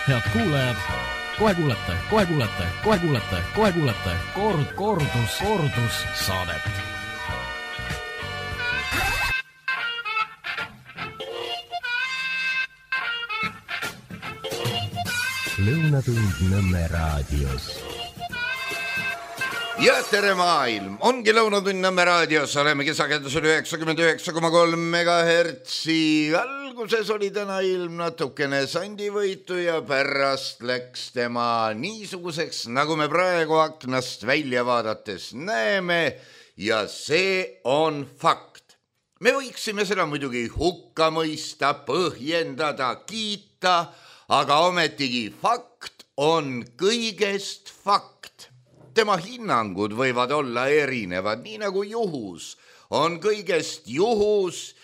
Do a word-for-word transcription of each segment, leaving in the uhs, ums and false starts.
Head kuulajad, kohe kuulete, kohe kuulete, kohe kuulete, kohe kuulete kord, kordus, kordus saadet. Lõunatund Nõmme raadios. Ja tere maailm, ongi Lõunatund Nõmme raadios, oleme kesakendusel üheksakümmend üheksa koma kolm megahertsi. Alguses oli täna ilm natukene sandivõitu ja pärast läks tema niisuguseks, nagu me praegu aknast välja vaadates näeme, ja see on fakt. Me võiksime seda muidugi hukka mõista, põhjendada, kiita, aga ometigi fakt on kõigest fakt. Tema hinnangud võivad olla erinevad, nii nagu juhus on kõigest juhus.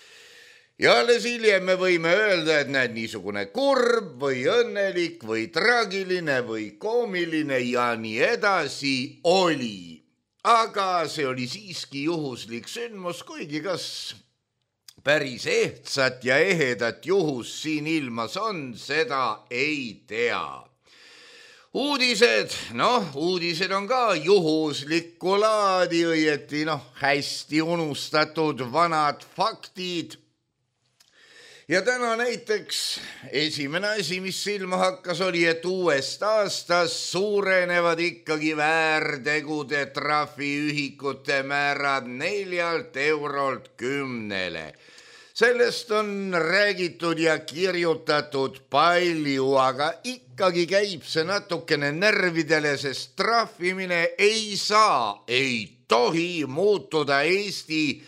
Ja alles hiljem me võime öelda, et näed niisugune kurb või õnnelik või traagiline või koomiline ja nii edasi oli. Aga see oli siiski juhuslik sündmus, kuigi kas päris ehtsat ja ehedat juhus siin ilmas on, seda ei tea. Uudised, noh, uudised on ka juhuslikku laadi, õieti, noh, hästi unustatud vanad faktid. Ja täna näiteks esimene asi, mis silma hakkas, oli, et uuest aastast suurenevad ikkagi väärtegude trahviühikute määrad neljalt eurolt kümnele. Sellest on räägitud ja kirjutatud palju, aga ikkagi käib see natukene närvidele, sest trahvimine ei saa, ei tohi muutuda Eesti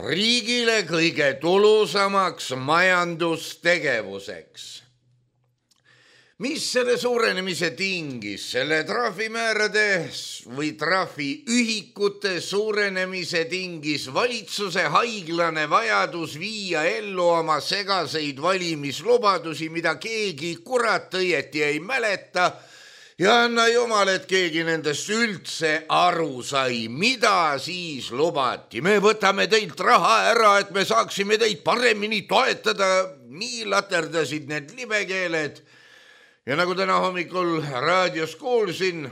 riigile kõige tulusamaks majandustegevuseks. Mis selle suurenemise tingis? Selle trahvimäärade või trahviühikute suurenemise tingis valitsuse haiglane vajadus viia ellu oma segaseid valimislubadusi, mida keegi kurat õieti ei mäleta, ja anna jumal, et keegi nendest üldse aru sai, mida siis lubati. Me võtame teilt raha ära, et me saaksime teid paremini toetada. Nii laterdasid need libekeeled. Ja nagu täna hommikul raadios kuulsin,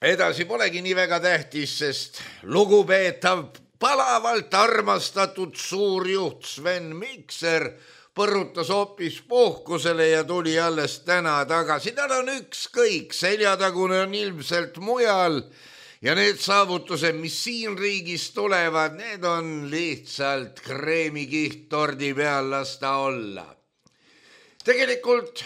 edasi polegi nii väga tähtis, sest lugupeetav, palavalt armastatud suurjuht Sven Mikser põrutas hoopis puhkusele ja tuli alles täna tagasi. Tal on ükskõik, seljatagune on ilmselt mujal ja need saavutused, mis siin riigis tulevad, need on lihtsalt kreemikiht tordi peal lasta olla. Tegelikult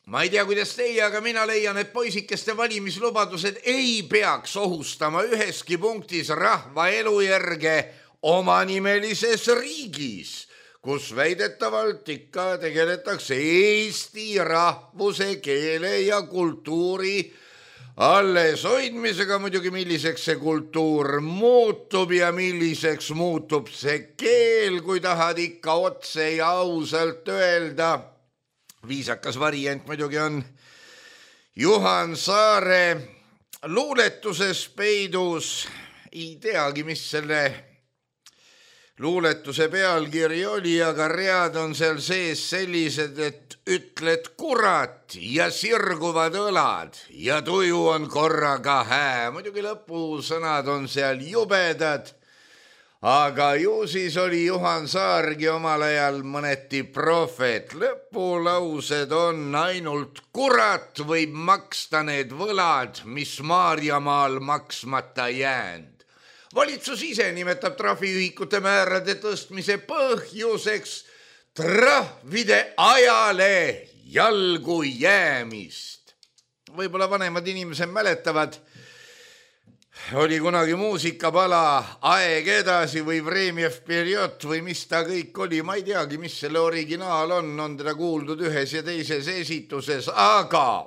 ma ei tea, kuidas teie, aga mina leian, et poisikeste valimislubadused ei peaks ohustama üheski punktis rahva elujärge omanimelises riigis, kus väidetavalt ikka tegeletakse Eesti rahvuse, keele ja kultuuri alles hoidmisega. Muidugi milliseks see kultuur muutub ja milliseks muutub see keel, kui tahad ikka otse ja ausalt öelda. Viisakas variant muidugi on Juhan Saare luuletuses peidus. Ei teagi, mis selle luuletuse pealkiri oli, aga read on seal sees sellised, et ütled kurat ja sirguvad õlad ja tuju on korraga hää. Muidugi lõpusõnad on seal jubedad. Aga ju siis oli Juhan Saargi omal ajal mõneti prohvet. Lõpulaused on ainult kurat võib maksta need võlad, mis Maarjamaal maksmata jäänd. Valitsus ise nimetab trahviühikute määrade tõstmise põhjuseks trahvide ajale jalgu jäämist. Võib-olla vanemad inimesed mäletavad, oli kunagi muusikapala Aeg edasi või Vremjev periood või mis ta kõik oli. Ma ei teagi, mis selle originaal on, on teda kuuldud ühes ja teises esituses, aga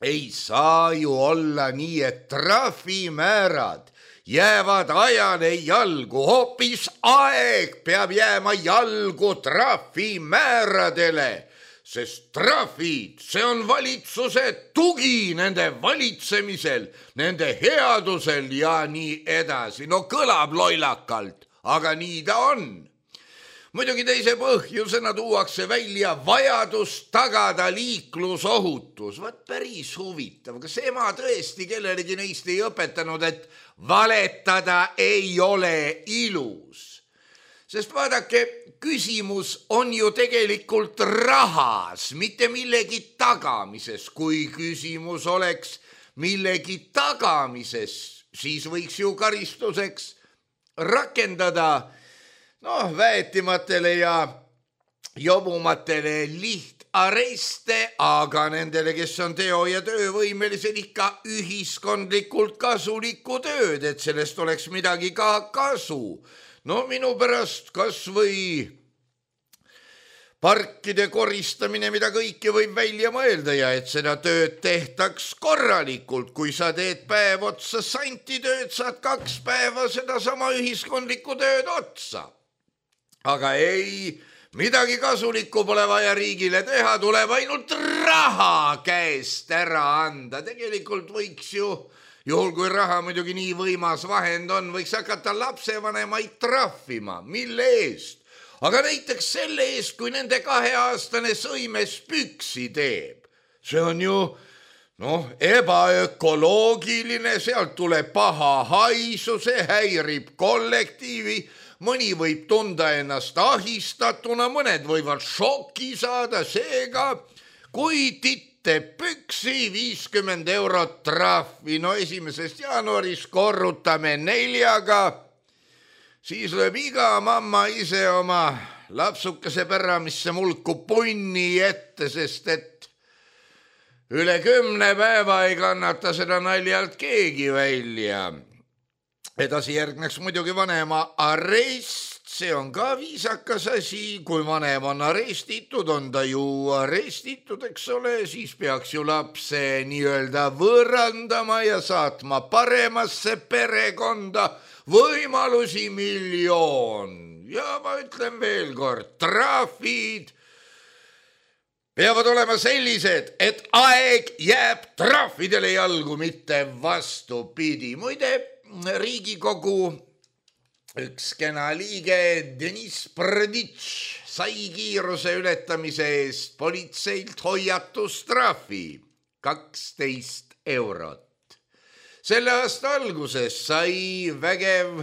ei saa ju olla nii, et trahvimäärad jäävad ajale jalgu. Hoopis aeg peab jääma jalgu trahvimääradele. Sest trahvid, see on valitsuse tugi nende valitsemisel, nende headusel ja nii edasi. No kõlab loilakalt, aga nii ta on. muidugi teise põhjusena tuuakse välja vajadus tagada liiklusohutus. Vaat päris huvitav, kas ema tõesti kellelegi neist ei õpetanud, et valetada ei ole ilus? Sest vaadake, küsimus on ju tegelikult rahas, mitte millegi tagamises. Kui küsimus oleks millegi tagamises, siis võiks ju karistuseks rakendada noh, väetimatele ja jobumatele lihtareste, aga nendele, kes on teo- ja töövõimelised, ikka ühiskondlikult kasulikku tööd, et sellest oleks midagi ka kasu. No minu pärast kas või parkide koristamine, mida kõike võib välja mõelda ja et seda tööd tehtaks korralikult. Kui sa teed päev otsa santitööd, saad kaks päeva seda sama ühiskondlikku tööd otsa. Aga ei, midagi kasulikku pole vaja riigile teha, tuleb ainult raha käest ära anda. Tegelikult võiks ju, juhul kui raha muidugi nii võimas vahend on, võiks hakata lapsevanemaid trahvima. Mille eest? Aga näiteks selle eest, kui nende kaheaastane sõimes püksi teeb. See on ju noh, ebaökoloogiline, sealt tuleb paha haisu, see häirib kollektiivi. Mõni võib tunda ennast ahistatuna, mõned võivad šoki saada, seega kui titte püksi viiskümmend eurot trahvi, no esimesest jaanuarist korrutame neljaga, siis lööb iga mamma ise oma lapsukese päramisse mulku punni ette, sest et üle kümne päeva ei kannata seda naljalt keegi välja. Edasi järgneks muidugi vanema arest, see on ka viisakas asi, kui vanem on arestitud, on ta ju arestitud, eks ole, siis peaks ju lapse nii-öelda võõrandama ja saatma paremasse perekonda, võimalusi miljoon. Ja ma ütlen veel kord, trahvid peavad olema sellised, et aeg jääb trahvidele jalgu, mitte vastupidi. Muide, Riigikogu üks kena liige Deniss Prditš sai kiiruse ületamise eest politseilt hoiatustrahvi kaksteist eurot. Selle aasta alguses sai vägev,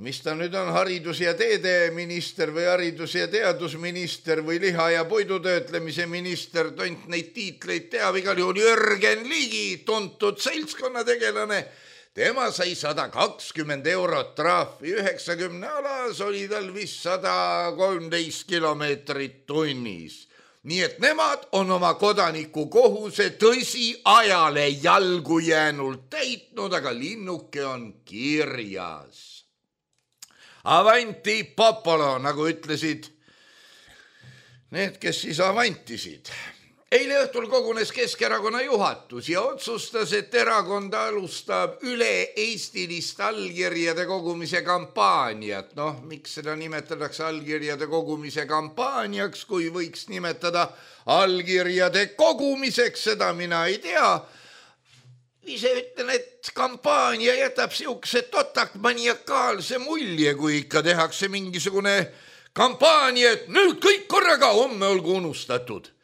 mis ta nüüd on, haridus- ja teedeminister või haridus- ja teadusminister või liha- ja puidutöötlemise minister, tont neid tiitleid teab, igal juhul Jürgen Ligi, tuntud seltskonnategelane. Tema sai sada kakskümmend eurot trahvi, üheksakümne alas oli tal vist sada kolmteist kilomeetrit tunnis. Nii et nemad on oma kodaniku kohuse tõsi ajale jalgu jäänult täitnud, aga linnuke on kirjas. Avanti popolo, nagu ütlesid need, kes siis avantisid. Eile õhtul kogunes Keskerakonna juhatus ja otsustas, et erakond alustab üle-eestilist allkirjade kogumise kampaaniat. Noh, miks seda nimetatakse allkirjade kogumise kampaaniaks, kui võiks nimetada allkirjade kogumiseks, seda mina ei tea. Ise ütlen, et kampaania jätab siukse totakmaniakaalse mulje, kui ikka tehakse mingisugune kampaania, et nüüd kõik korraga, homme olgu unustatud.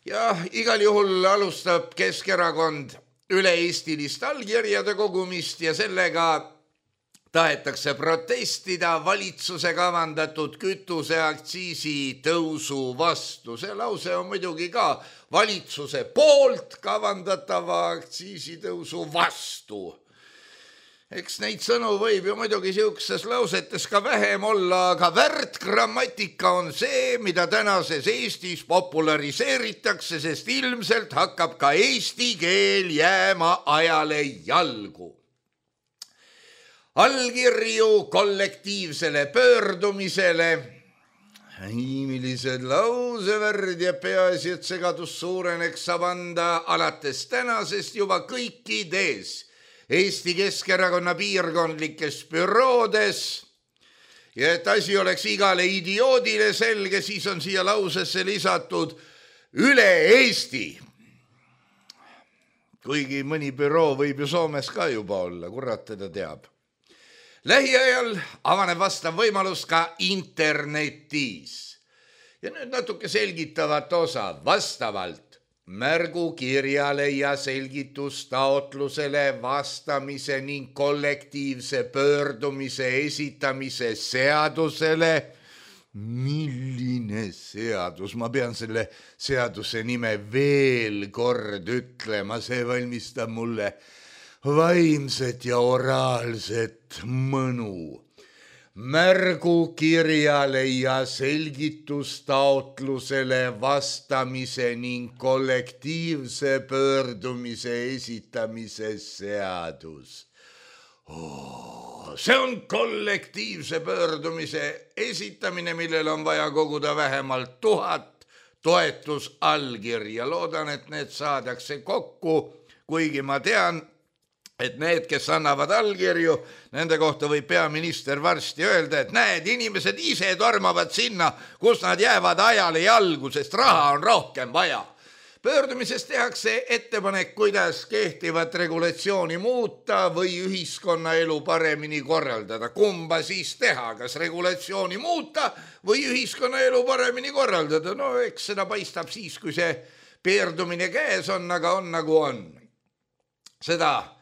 Ja igal juhul alustab Keskerakond üle-eestilist allkirjade kogumist ja sellega tahetakse protestida valitsuse kavandatud kütuseaktsiisi tõusu vastu. See lause on muidugi ka valitsuse poolt kavandatava aktsiisi tõusu vastu. Eks neid sõnu võib ju muidugi siukses lausetes ka vähem olla, aga väärtgrammatika on see, mida tänases Eestis populariseeritakse, sest ilmselt hakkab ka eesti keel jääma ajale jalgu. Allkirju kollektiivsele pöördumisele. Millised lausevärd ja peaasi, et segadus suureneks, saab anda alates tänasest juba kõikides Eesti Keskerakonna piirkondlikes büroodes ja et asi oleks igale idioodile selge, siis on siia lausesse lisatud üle Eesti. Kuigi mõni büroo võib ju Soomes ka juba olla, kurat teda teab. lähiajal avaneb vastav võimalus ka internetis. Ja nüüd natuke selgitavat osa vastavalt märgukirjale ja selgitustaotlusele vastamise ning kollektiivse pöördumise esitamise seadusele. Milline seadus? Ma pean selle seaduse nime veel kord ütlema, see valmistab mulle vaimset ja oraalset mõnu. Märgukirjale ja selgitustaotlusele vastamise ning kollektiivse pöördumise esitamise seadus. Oh, see on kollektiivse pöördumise esitamine, millel on vaja koguda vähemalt tuhat toetusallkirja. Loodan, et need saadakse kokku, kuigi ma tean, et need, kes annavad allkirju, nende kohta võib peaminister varsti öelda, et näed, inimesed ise tormavad sinna, kus nad jäävad ajale jalgu, sest raha on rohkem vaja. Pöördumises tehakse ettepanek, kuidas kehtivat regulatsiooni muuta või ühiskonnaelu paremini korraldada. Kumba siis teha, kas regulatsiooni muuta või ühiskonnaelu paremini korraldada? No eks seda paistab siis, kui see pöördumine käes on, aga on nagu on. Seda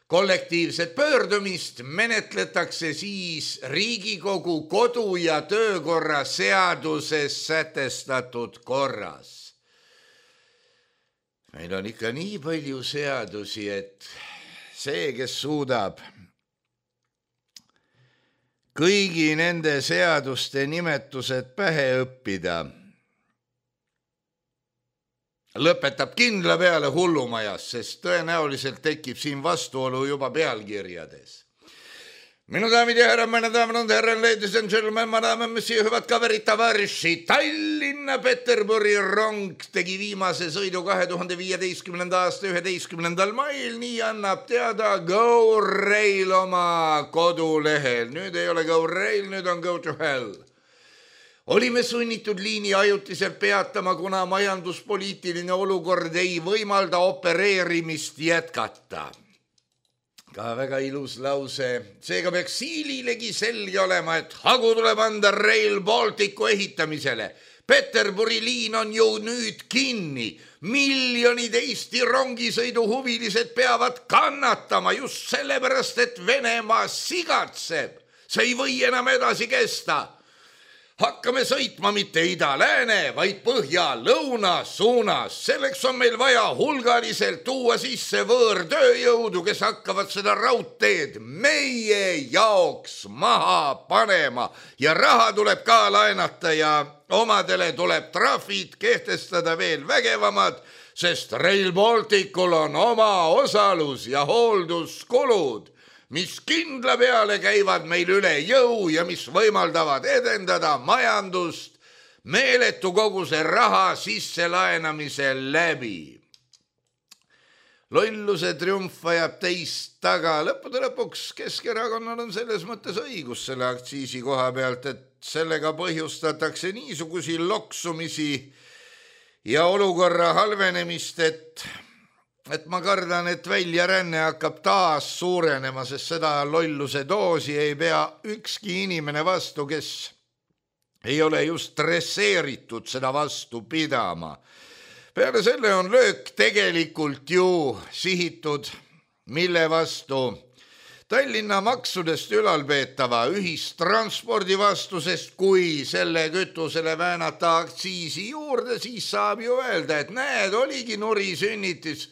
kollektiivset pöördumist menetletakse siis Riigikogu kodu- ja töökorra seaduses sätestatud korras. Meil on ikka nii palju seadusi, et see, kes suudab kõigi nende seaduste nimetused pähe õppida, lõpetab kindla peale hullumajas, sest tõenäoliselt tekib siin vastuolu juba pealkirjades. Minu daamid ja härrad, meine daamid und herren, ladies and gentlemen, ma daamid, mis hüvad kaverid tavarši. Tallinna Peterburi rong tegi viimase sõidu kahe tuhande viieteistkümnenda aasta üheteistkümnendal mail, nii annab teada Go Rail oma kodulehel. Nüüd ei ole Go Rail, nüüd on Go to Hell. Olime sunnitud liini ajutiselt peatama, kuna majanduspoliitiline olukord ei võimalda opereerimist jätkata. Ka väga ilus lause. Seega peaks Siililegi selge olema, et hagu tuleb anda Rail Balticu ehitamisele. Peterburi liin on ju nüüd kinni. Miljonid Eesti rongisõidu huvilised peavad kannatama just sellepärast, et Venemaa sigatseb. See ei või enam edasi kesta. Hakkame sõitma mitte ida-lääne, vaid põhja-lõuna suunas. Selleks on meil vaja hulgaliselt tuua sisse võõrtööjõudu, kes hakkavad seda raudteed meie jaoks maha panema. Ja raha tuleb ka laenata ja omadele tuleb trahvid kehtestada veel vägevamad, sest Rail Balticul on oma osalus ja hoolduskulud, mis kindla peale käivad meil üle jõu ja mis võimaldavad edendada majandust meeletu koguse raha sisselaenamise läbi. Lolluse triumf ajab teist taga. Lõppude lõpuks Keskerakonnal on selles mõttes õigus selle aktsiisi koha pealt, et sellega põhjustatakse niisugusi loksumisi ja olukorra halvenemist, et et ma kardan, et väljaränne hakkab taas suurenema, sest seda lolluse doosi ei pea ükski inimene vastu, kes ei ole just dresseeritud seda vastu pidama. Peale selle on löök tegelikult ju sihitud, mille vastu Tallinna maksudest ülalpeetava ühistranspordi vastu, sest kui selle kütusele väänata aktsiisi juurde, siis saab ju öelda, et näed, oligi nuri sünnitis,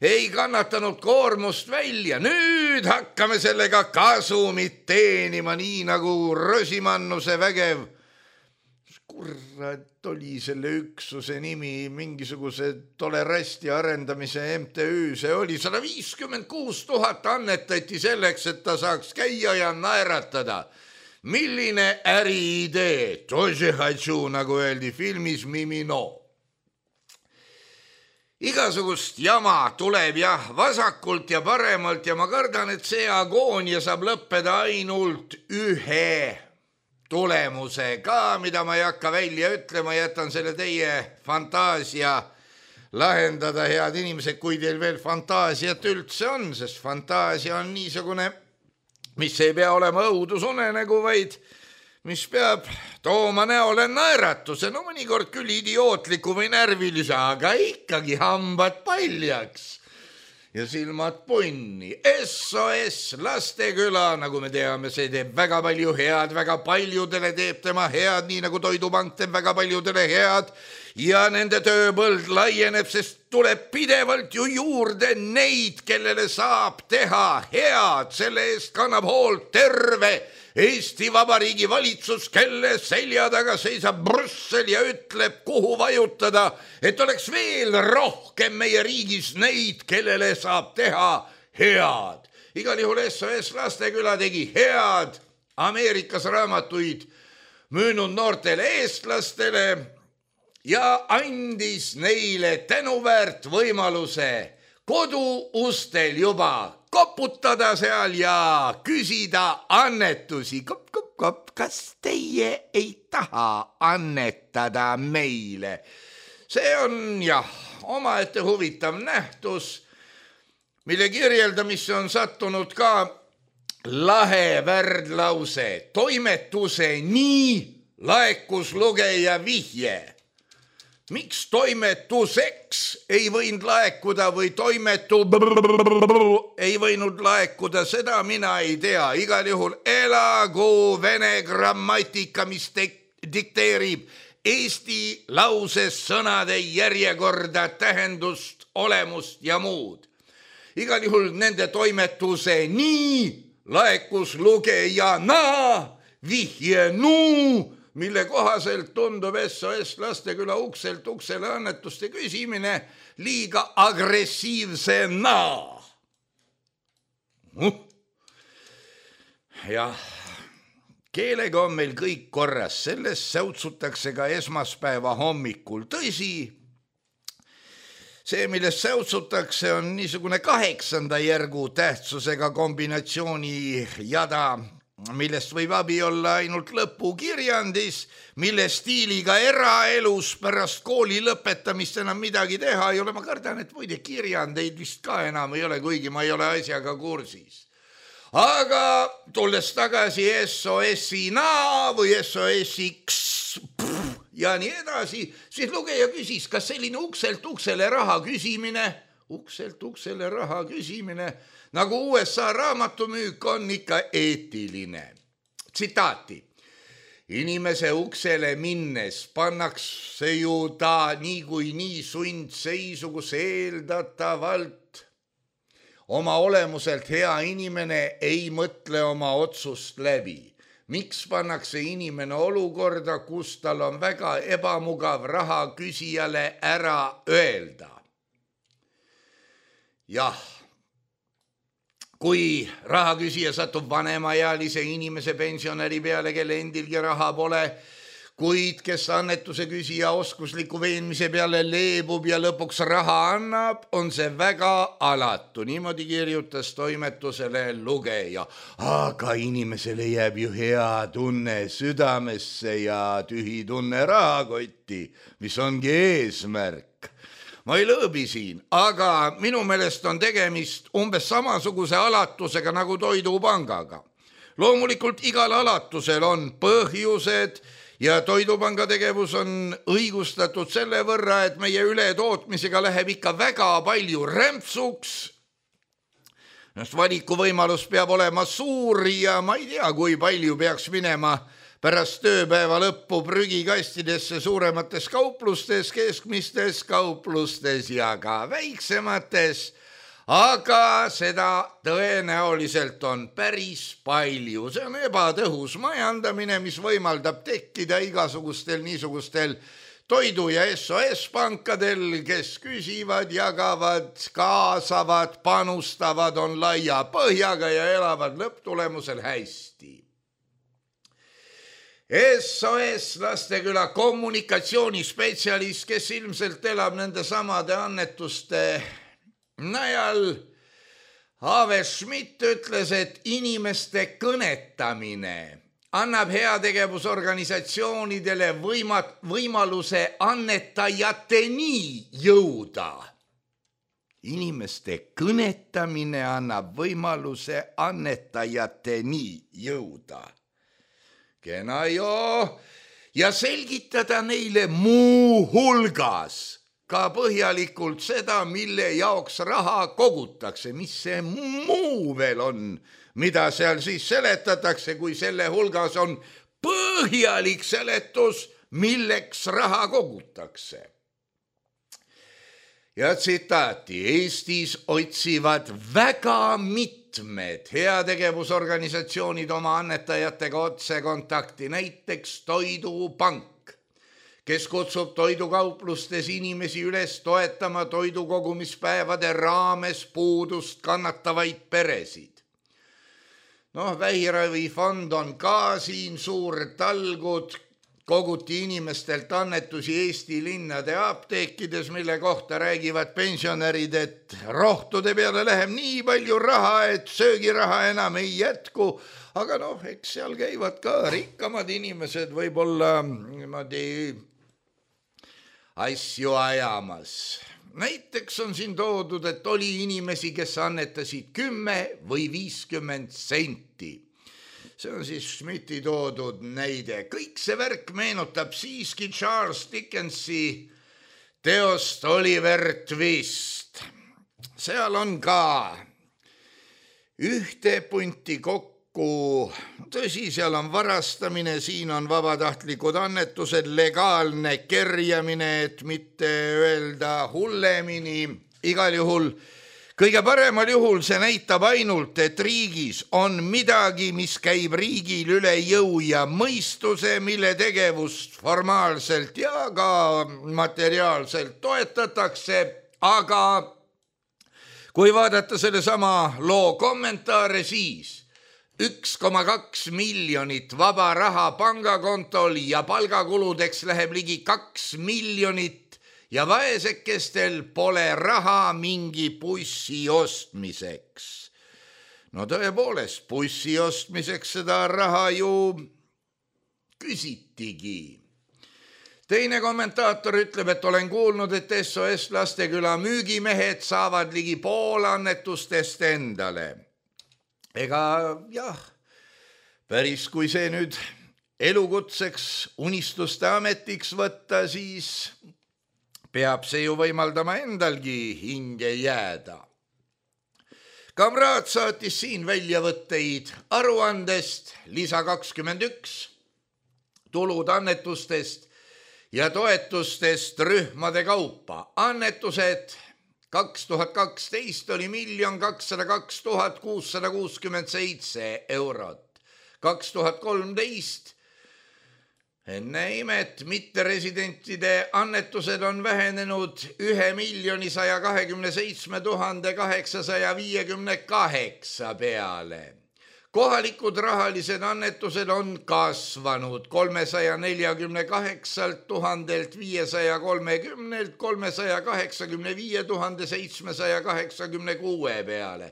ei kannatanud koormust välja. Nüüd hakkame sellega kasumit teenima, nii nagu Rosimannuse vägev. Kurat oli selle üksuse nimi, mingisuguse tolerasti arendamise M T Ü. See oli sada viiskümmend kuus tuhat annetati selleks, et ta saaks käia ja naeratada. Milline äriidee? Тоже хочу, nagu öeldi filmis Mimino. Igasugust jama tuleb jah vasakult ja paremalt ja ma kardan, et see agoonia saab lõppeda ainult ühe tulemusega, mida ma ei hakka välja ütlema, jätan selle teie fantaasia lahendada, head inimesed, kui teil veel fantaasiat üldse on, sest fantaasia on niisugune mis ei pea olema õudusunenägu, vaid mis peab tooma näole naeratuse, no mõnikord küll idiootliku või närvilise, aga ikkagi hambad paljaks ja silmad punni. S O S Lasteküla, nagu me teame, see teeb väga palju head, väga paljudele teeb tema head, nii nagu Toidupank teeb väga paljudele head ja nende tööpõld laieneb, sest tuleb pidevalt ju juurde neid, kellele saab teha head, selle eest kannab hoolt terve Eesti Vabariigi valitsus, kelle selja taga seisab Brüssel ja ütleb, kuhu vajutada, et oleks veel rohkem meie riigis neid, kellele saab teha head. Igal juhul S O S Lasteküla tegi head Ameerikas raamatuid müünud noortele eestlastele ja andis neile tänuväärt võimaluse koduustel juba koputada seal ja küsida annetusi. Kop, kop, kop, kas teie ei taha annetada meile? See on jah, omaette huvitav nähtus, mille kirjeldamisse on sattunud ka lahe värdlause. Toimetuse nii laekus lugeja vihje. Miks toimetuseks ei võinud laekuda või toimetu ei võinud laekuda, seda mina ei tea. Igal juhul elagu vene grammatika, mis dikteerib eesti lauses sõnade järjekorda, tähendust, olemust ja muud. Igal juhul nende toimetuse nii laekus lugejana vihje nuu, mille kohaselt tundub S O S Lasteküla ukselt uksele annetuste küsimine liiga agressiivsena. Uh. jah, keelega on meil kõik korras, sellest säutsutakse ka esmaspäeva hommikul. Tõsi, see, millest säutsutakse, on niisugune kaheksanda järgu tähtsusega kombinatsiooni jada, millest võib abi olla ainult lõpukirjandis, mille stiiliga eraelus pärast kooli lõpetamist enam midagi teha ei ole. Ma kardan, et muide kirjandeid vist ka enam ei ole, kuigi ma ei ole asjaga kursis. Aga tulles tagasi S O S-ina või S O S-iks ja nii edasi, siis lugeja küsis, kas selline ukselt uksele raha küsimine, ukselt uksele raha küsimine, nagu U S A raamatumüük on ikka eetiline. Tsitaati. Inimese uksele minnes pannakse ju ta nii kui nii sundseisu, kus eeldatavalt oma olemuselt hea inimene ei mõtle oma otsust läbi. Miks pannakse inimene olukorda, kus tal on väga ebamugav raha küsijale ära öelda? Jah. Kui rahaküsija satub vanemaealise inimese pensionäri peale, kelle endilgi raha pole, kuid kes annetuse küsija oskusliku veenmise peale leebub ja lõpuks raha annab, on see väga alatu. Niimoodi kirjutas toimetusele lugeja. Aga inimesele jääb ju hea tunne südamesse ja tühi tunne rahakotti, mis ongi eesmärk. Ma ei lõõbi siin, aga minu meelest on tegemist umbes samasuguse alatusega nagu Toidupangaga. Loomulikult igal alatusel on põhjused ja Toidupanga tegevus on õigustatud selle võrra, et meie ületootmisega läheb ikka väga palju rämpsuks. Valikuvõimalus peab olema suur ja ma ei tea, kui palju peaks minema pärast tööpäeva lõppu prügikastidesse suuremates kauplustes, keskmistes kauplustes ja ka väiksemates, aga seda tõenäoliselt on päris palju. See on ebatõhus majandamine, mis võimaldab tekkida igasugustel niisugustel toidu- ja S O S-pankadel, kes küsivad, jagavad, kaasavad, panustavad, on laia põhjaga ja elavad lõpptulemusel hästi. S O S Lasteküla kommunikatsioonispetsialist, kes ilmselt elab nende samade annetuste najal, Ave Schmidt ütles, et inimeste kõnetamine annab heategevusorganisatsioonidele võima- võimaluse annetajateni jõuda. inimeste kõnetamine annab võimaluse annetajateni jõuda. Kena joo, ja selgitada neile muu hulgas ka põhjalikult seda, mille jaoks raha kogutakse, mis see muu veel on, mida seal siis seletatakse, kui selle hulgas on põhjalik seletus, milleks raha kogutakse. Ja tsitaati, Eestis otsivad väga mitmed heategevusorganisatsioonid oma annetajatega otse kontakti, näiteks Toidupank, kes kutsub toidukauplustes inimesi üles toetama toidukogumispäevade raames puudust kannatavaid peresid. Noh, vähiravifond on ka siin suur talgud, koguti inimestelt annetusi Eesti linnade apteekides, mille kohta räägivad pensionärid, et rohtude peale läheb nii palju raha, et söögiraha enam ei jätku, aga noh, eks seal käivad ka rikkamad inimesed võib-olla niimoodi asju ajamas. Näiteks on siin toodud, et oli inimesi, kes annetasid kümme või viiskümmend senti. See on siis Schmidti toodud näide. Kõik see värk meenutab siiski Charles Dickensi teost Oliver Twist. Seal on ka ühte punti kokku. Tõsi, seal on varastamine, siin on vabatahtlikud annetused, legaalne kerjamine, et mitte öelda hullemini. Igal juhul, kõige paremal juhul see näitab ainult, et riigis on midagi, mis käib riigil üle jõu ja mõistuse, mille tegevust formaalselt ja ka materiaalselt toetatakse, aga kui vaadata selle sama loo kommentaare, siis üks koma kaks miljonit vaba raha pangakontol ja palgakuludeks läheb ligi kaks miljonit ja vaesekestel pole raha mingi bussi ostmiseks. No tõepoolest, bussi ostmiseks seda raha ju küsitigi. Teine kommentaator ütleb, et olen kuulnud, et S O S Lasteküla müügimehed saavad ligi pool annetustest endale. Ega jah, päris kui see nüüd elukutseks unistuste ametiks võtta, siis peab see ju võimaldama endalgi hinge jääda. Kamraad saatis siin väljavõtteid aruandest lisa kakskümmend üks, tulud annetustest ja toetustest rühmade kaupa. Annetused kaks tuhat kaksteist oli miljon kakssada kaks tuhat kuussada kuuskümmend seitse eurot. kaks tuhat kolmteist enne imet mitteresidentide annetused on vähenenud ühe miljoni saja kahekümne seitsme tuhande kaheksasaja viiekümne kaheksa peale. Kohalikud rahalised annetused on kasvanud kolmesaja neljakümne kaheksalt tuhandelt viiesaja kolmekümnelt kolmesaja kaheksakümne viie tuhande seitsmesaja kaheksakümne kuue peale.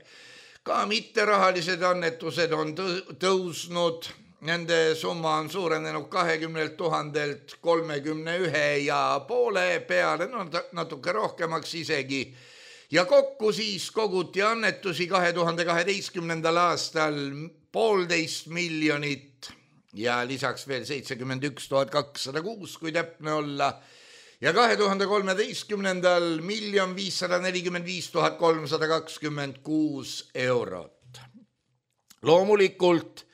Ka mitterahalised annetused on tõusnud, nende summa on suurenenud kahekümnelt tuhandelt kolmekümne ühe ja poole peale, no natuke rohkemaks isegi. Ja kokku siis koguti annetusi kahe tuhande kaheteistkümnendal aastal poolteist miljonit ja lisaks veel seitsekümmend üks tuhat kakssada kuus, kui täpne olla. Ja kahe tuhande kolmeteistkümnendal miljon viissada nelikümmend viis tuhat kolmsada kakskümmend kuus eurot. Loomulikult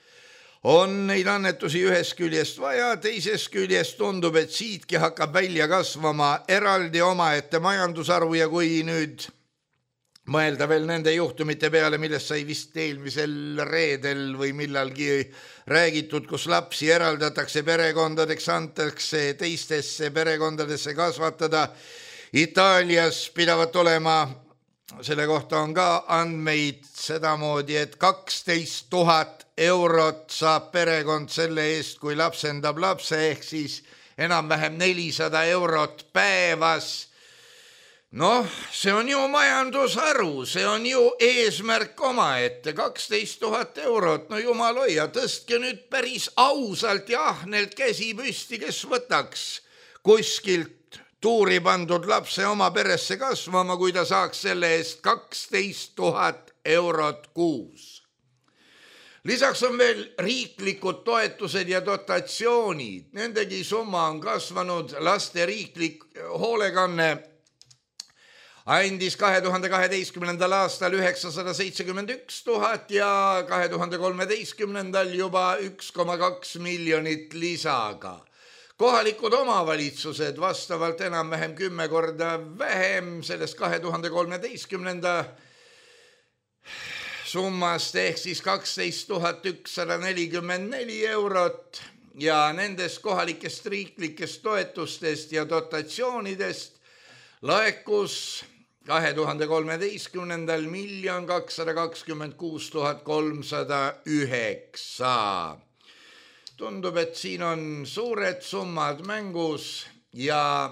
on neid annetusi ühest küljest vaja, teisest küljest tundub, et siitki hakkab välja kasvama eraldi omaette majandusarvu ja kui nüüd mõelda veel nende juhtumite peale, millest sai vist eelmisel reedel või millalgi räägitud, kus lapsi eraldatakse perekondadeks, antakse teistesse perekondadesse kasvatada. Itaalias pidavat olema, selle kohta on ka andmeid sedamoodi, et kaksteist tuhat eurot saab perekond selle eest, kui lapsendab lapse, ehk siis enam-vähem nelisada eurot päevas. Noh, see on ju majandusharu, see on ju eesmärk omaette, kaksteist tuhat eurot, no jumal hoia, tõstke nüüd päris ausalt ja ahnelt käsi püsti, kes võtaks kuskilt tuuri pandud lapse oma peresse kasvama, kui ta saaks selle eest kaksteist tuhat eurot kuus. Lisaks on veel riiklikud toetused ja dotatsioonid. Nendegi summa on kasvanud. Laste riiklik hoolekanne andis kahe tuhande kaheteistkümnendal aastal üheksasada seitsekümmend üks tuhat ja kahe tuhande kolmeteistkümnendal juba üks koma kaks miljonit lisaga. Kohalikud omavalitsused vastavalt enam-vähem kümme korda vähem sellest kahe tuhande kolmeteistkümnenda summast ehk siis kaksteist tuhat ükssada nelikümmend neli eurot ja nendest kohalikest riiklikest toetustest ja dotatsioonidest laekus kahe tuhande kolmeteistkümnendal miljon kakssada kakskümmend kuus tuhat kolmsada üheksa. Tundub, et siin on suured summad mängus ja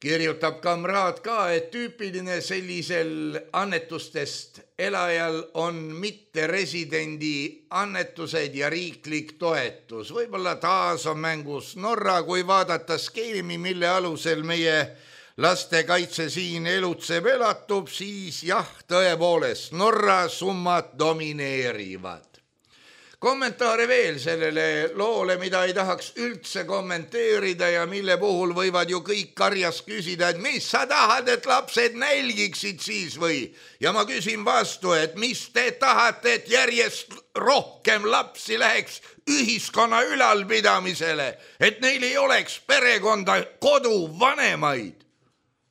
kirjutab kamraad ka, et tüüpiline sellisel annetustest elajal on mitteresidendi annetused ja riiklik toetus. Võib-olla taas on mängus Norra, kui vaadata skeemi, mille alusel meie lastekaitse siin elutseb elatub, siis jah, tõepoolest Norra summad domineerivad. Kommentaare veel sellele loole, mida ei tahaks üldse kommenteerida ja mille puhul võivad ju kõik karjas küsida, et mis sa tahad, et lapsed nälgiksid siis või? Ja ma küsin vastu, et mis te tahate, et järjest rohkem lapsi läheks ühiskonna ülalpidamisele, et neil ei oleks perekonda, kodu, vanemaid.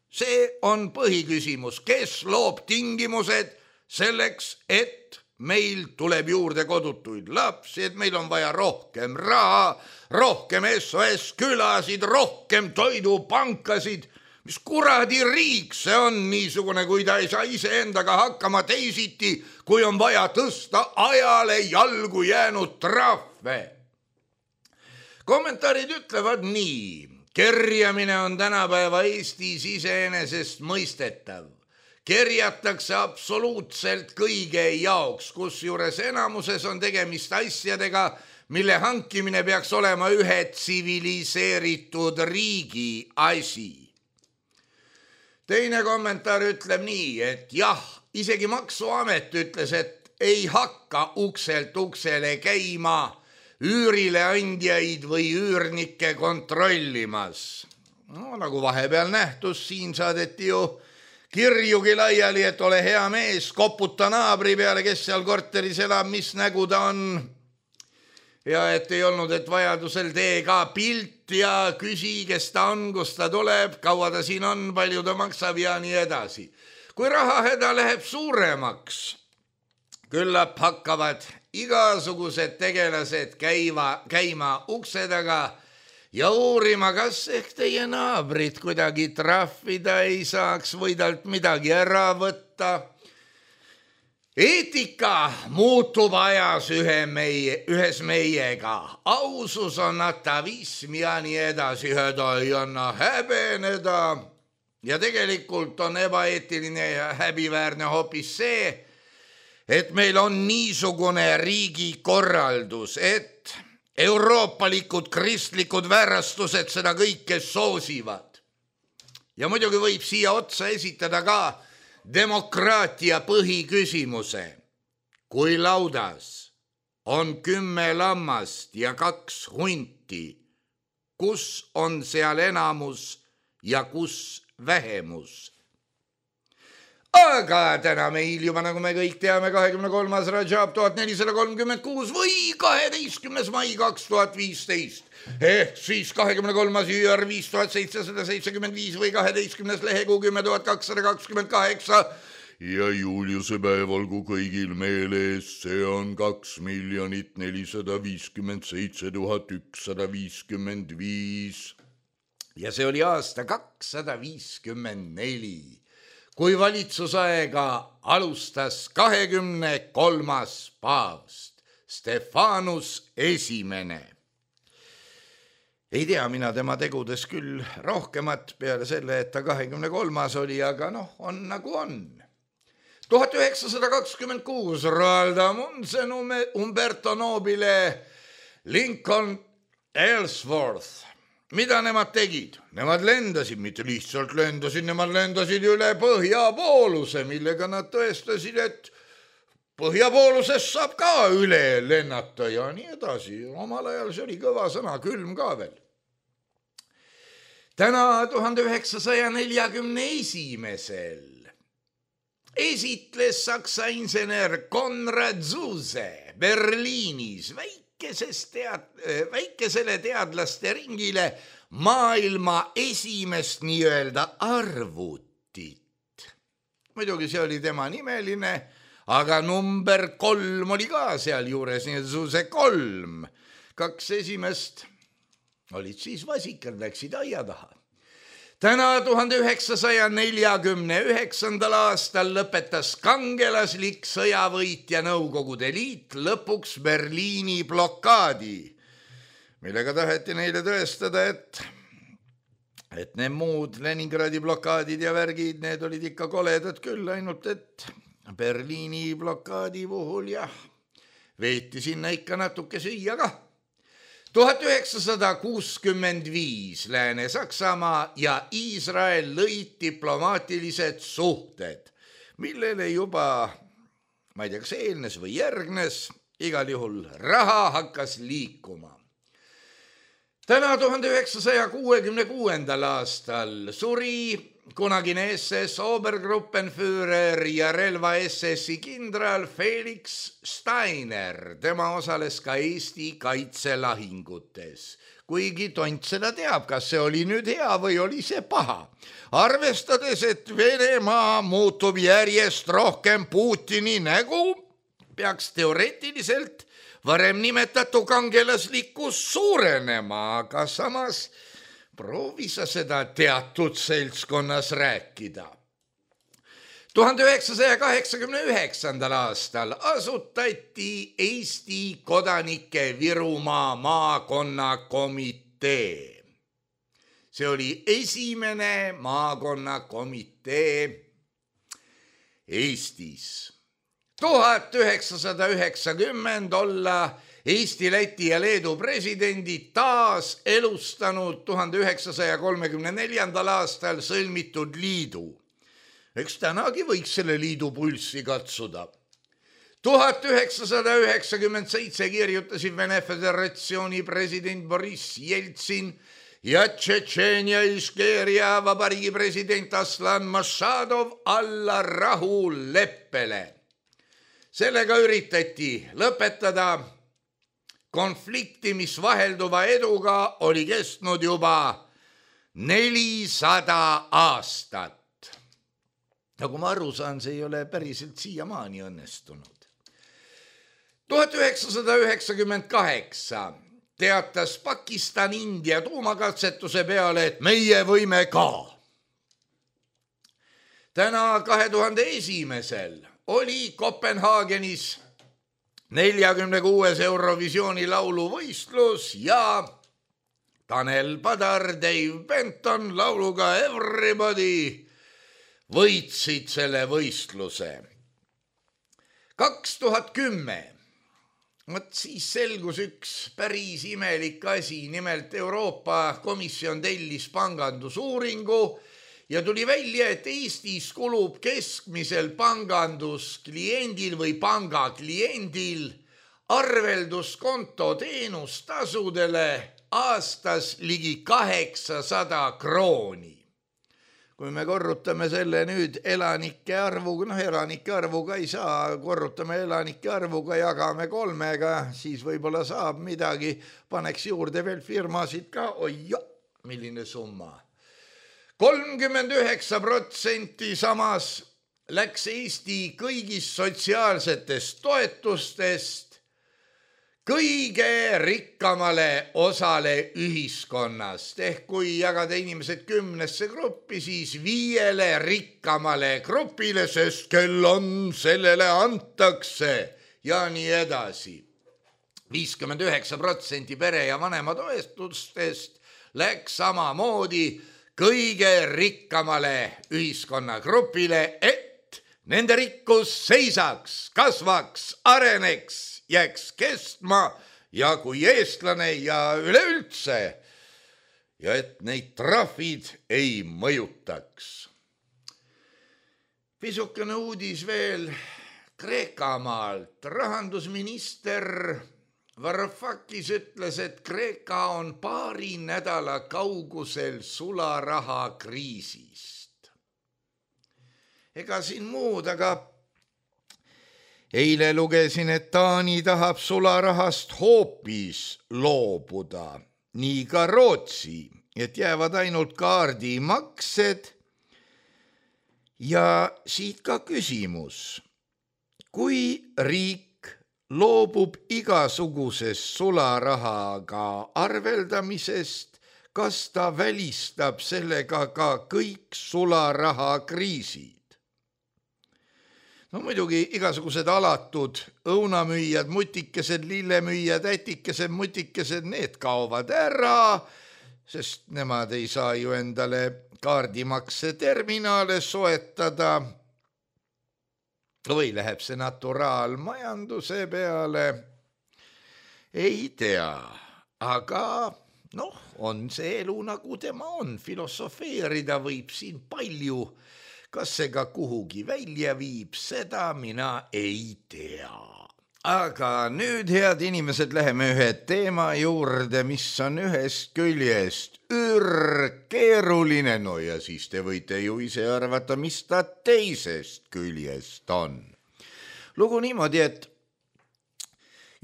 See on põhiküsimus, kes loob tingimused selleks, et meil tuleb juurde kodutuid lapsi, et meil on vaja rohkem raha, rohkem S O S külasid, rohkem toidupankasid. Mis kuradi riik see on niisugune, kui ta ei saa iseendaga hakkama teisiti, kui on vaja tõsta ajale jalgu jäänud trahve. Kommentaarid ütlevad nii. Kerjamine on tänapäeva Eestis iseenesest mõistetav. Kerjatakse absoluutselt kõige jaoks, kus juures enamuses on tegemist asjadega, mille hankimine peaks olema ühe tsiviliseeritud riigi asi. Teine kommentaar ütleb nii, et jah, isegi Maksuamet ütles, et ei hakka ukselt uksele käima üürile andjaid või üürnikke kontrollimas. No, nagu vahepeal nähtus, siin saadeti ju kirjugi laiali, et ole hea mees, koputa naabri peale, kes seal korteris elab, mis nägu ta on. Ja et ei olnud, et vajadusel tee ka pilt ja küsi, kes ta on, kus ta tuleb, kaua ta siin on, palju ta maksab ja nii edasi. Kui rahahäda läheb suuremaks, küllap hakkavad igasugused tegelased käiva, käima ukse taga ja uurima, kas ehk teie naabrit kuidagi trahvida ei saaks või talt midagi ära võtta. Eetika muutub ajas ühe meie, ühes meiega. Ausus on atavism ja nii edasi, häda ei anna häbeneda. Ja tegelikult on ebaeetiline ja häbiväärne hoopis see, et meil on niisugune riigikorraldus, et euroopalikud kristlikud väärastused seda kõike soosivad. Ja muidugi võib siia otsa esitada ka demokraatia põhiküsimuse. Kui laudas on kümme lammast ja kaks hunti, kus on seal enamus ja kus vähemus? Aga täna meil juba, nagu me kõik teame, kahekümne kolmas Rajab tuhat nelisada kolmkümmend kuus või kaheteistkümnes mai kaks tuhat viisteist. Ehk siis kahekümne kolmas J R viis tuhat seitsesada seitsekümmend viis või kaheteistkümnes lehekuu kümme tuhat kakssada kakskümmend kaheksa. Ja Juliuse päev olgu kõigil meeles, see on kaks miljonit nelisada viiskümmend seitse tuhat ükssada viiskümmend viis. Ja see oli aasta kakssada viiskümmend neli. Kui valitsusaega alustas kahekümne kolmas paavst, Stefanus esimene. Ei tea mina tema tegudes küll rohkemat peale selle, et ta kahekümne kolmas oli, aga noh, on nagu on. tuhat üheksasada kakskümmend kuus Roald Amundsen, Umberto Nobile, Lincoln Ellsworth mida nemad tegid? Nemad lendasid, mitte lihtsalt lendasid, nemad lendasid üle põhjapooluse, millega nad tõestasid, et põhjapoolusest saab ka üle lennata ja nii edasi. Omal ajal see oli kõva sõna, külm ka veel. Täna tuhande üheksasaja neljakümne esimesel esitles saksa insener Konrad Zuse Berliinis väikeses tead, väikesele teadlaste ringile maailma esimest nii-öelda arvutit. Muidugi see oli tema nimeline, aga number kolm oli ka seal juures, nii et Zuse kolm. Kaks esimest olid siis vasikad, läksid aia taha. Täna tuhande üheksasaja neljakümne üheksandal aastal lõpetas kangelaslik sõjavõitja Nõukogude Liit lõpuks Berliini blokaadi, millega taheti neile tõestada, et, et need muud Leningradi blokaadid ja värgid, need olid ikka koledad küll, ainult et Berliini blokaadi puhul jah, veeti sinna ikka natuke süüa ka. tuhat üheksasada kuuskümmend viis Lääne-Saksamaa ja Iisrael lõid diplomaatilised suhted, millele juba, ma ei tea, kas eelnes või järgnes, igal juhul raha hakkas liikuma. Täna tuhande üheksasaja kuuekümne kuuendal aastal suri kunagine S S Obergruppenführer ja relva S S-i kindral Felix Steiner. Tema osales ka Eesti kaitselahingutes. Kuigi tont seda teab, kas see oli nüüd hea või oli see paha. Arvestades, et Venemaa muutub järjest rohkem Putini nägu, peaks teoreetiliselt varem nimetatu kangelaslikkus suurenema, aga samas proovi sa seda teatud seltskonnas rääkida. tuhande üheksasaja kaheksakümne üheksandal aastal asutati Eesti kodanike Virumaa maakonnakomitee. See oli esimene maakonnakomitee Eestis. tuhat üheksasada üheksakümmend olla Eesti, Läti ja Leedu presidendid taas elustanud tuhande üheksasaja kolmekümne neljandal aastal sõlmitud liidu. Eks tänagi võiks selle liidu pulssi katsuda. tuhat üheksasada üheksakümmend seitse kirjutasid Vene Föderatsiooni president Boris Jeltsin ja Tšetšeenia Iškeria vabariigi president Aslan Mašadov alla rahuleppele. Sellega üritati lõpetada konflikti, mis vahelduva eduga oli kestnud juba nelisada aastat. Nagu ma aru saan, see ei ole päriselt siiamaani õnnestunud. tuhat üheksasada üheksakümmend kaheksa teatas Pakistan India tuumakatsetuse peale, et meie võime ka. Täna kahe tuhande esimesel oli Kopenhaagenis neljakümne kuues Eurovisiooni lauluvõistlus ja Tanel Padar, Dave Benton lauluga Everybody võitsid selle võistluse. kaks tuhat kümme, vot siis selgus üks päris imelik asi, nimelt Euroopa Komisjon tellis pangandusuuringu ja tuli välja, et Eestis kulub keskmisel panganduskliendil või pangakliendil arvelduskonto teenustasudele aastas ligi kaheksasada krooni. Kui me korrutame selle nüüd elanike arvuga, noh elanike arvuga ei saa, korrutame elanike arvuga, jagame kolmega, siis võib-olla saab midagi, paneks juurde veel firmasid ka, oi jo, milline summa. kolmkümmend üheksa protsenti samas läks Eesti kõigist sotsiaalsetest toetustest kõige rikkamale osale ühiskonnast. Ehk kui jagada inimesed kümnesse gruppi, siis viiele rikkamale grupile, sest kel on, sellele antakse ja nii edasi. viiskümmend üheksa protsenti pere ja vanema toetustest läks samamoodi kõige rikkamale ühiskonnagrupile, et nende rikkus seisaks, kasvaks, areneks, jääks kestma ja kui eestlane ja üleüldse ja et neid trahvid ei mõjutaks. Pisukene uudis veel Kreekamaalt. Rahandusminister Varoufakis ütles, et Kreeka on paari nädala kaugusel sularaha kriisist. Ega siin muud, aga eile lugesin, et Taani tahab sularahast hoopis loobuda. Nii ka Rootsi, et jäävad ainult kaardimaksed. Ja siit ka küsimus. Kui riik loobub igasugusest sularahaga arveldamisest, kas ta välistab sellega ka kõik sularaha kriisid? No muidugi igasugused alatud õunamüüjad, mutikesed, lillemüüjad, ätikesed, mutikesed, need kaovad ära, sest nemad ei saa ju endale kaardimakse terminaale soetada. Või läheb see naturaalmajanduse peale? Ei tea, aga noh, on see elu nagu tema on. Filosofeerida võib siin palju. Kas see ka kuhugi välja viib, seda mina ei tea. Aga nüüd, head inimesed, läheme ühe teema juurde, mis on ühest küljest ürkeeruline. No ja siis te võite ju ise arvata, mis ta teisest küljest on. Lugu niimoodi, et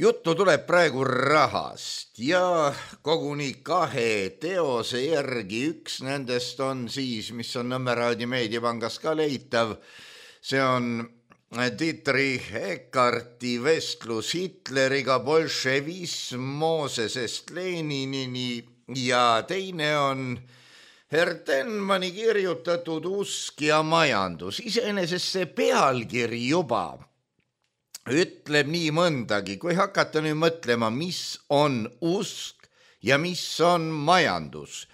juttu tuleb praegu rahast ja koguni kahe teose järgi. Üks nendest on siis, mis on Nõmmeraadi meediapangas ka leitav. See on Dietrich Eckarti vestlus Hitleriga, bolševism Moosesest Leninini ja teine on Hertenmanni kirjutatud Usk ja majandus. Iseenesest see pealkiri juba ütleb nii mõndagi, kui hakata nüüd mõtlema, mis on usk ja mis on majandus.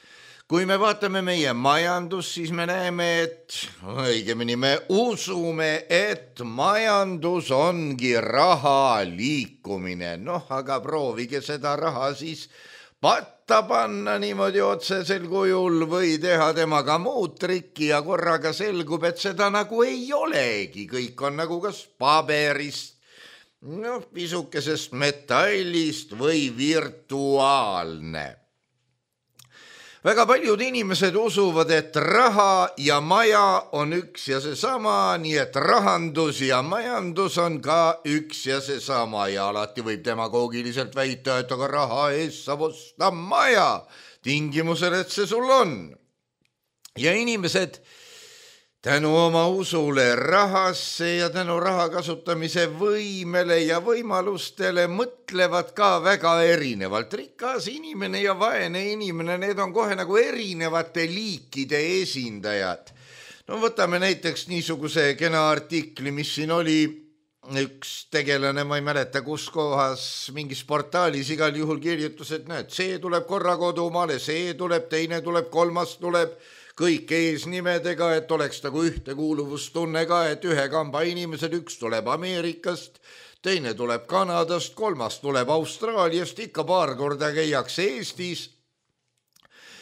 Kui me vaatame meie majandus, siis me näeme, et õigemini me usume, et majandus ongi raha liikumine. Noh, aga proovige seda raha siis patta panna niimoodi otsesel kujul või teha temaga muud trikki ja korraga selgub, et seda nagu ei olegi. Kõik on nagu kas paberist, noh, pisukesest metallist või virtuaalne. Väga paljud inimesed usuvad, et raha ja maja on üks ja seesama, nii et rahandus ja majandus on ka üks ja seesama ja alati võib demagoogiliselt väita, et aga raha eest saab osta maja, tingimusel, et see sul on. Ja inimesed tänu oma usule rahasse ja tänu raha kasutamise võimele ja võimalustele mõtlevad ka väga erinevalt. Rikas inimene ja vaene inimene, need on kohe nagu erinevate liikide esindajad. No võtame näiteks niisuguse kena artikli, mis siin oli üks tegelane, ma ei mäleta kus kohas, mingis portaalis igal juhul kirjutus, et näed, see tuleb korra kodumaale, see tuleb, teine tuleb, kolmas tuleb, kõik eesnimedega, et oleks nagu ühtekuuluvustunne ka, et ühe kamba inimesed, üks tuleb Ameerikast, teine tuleb Kanadast, kolmas tuleb Austraaliast, ikka paar korda käiakse Eestis.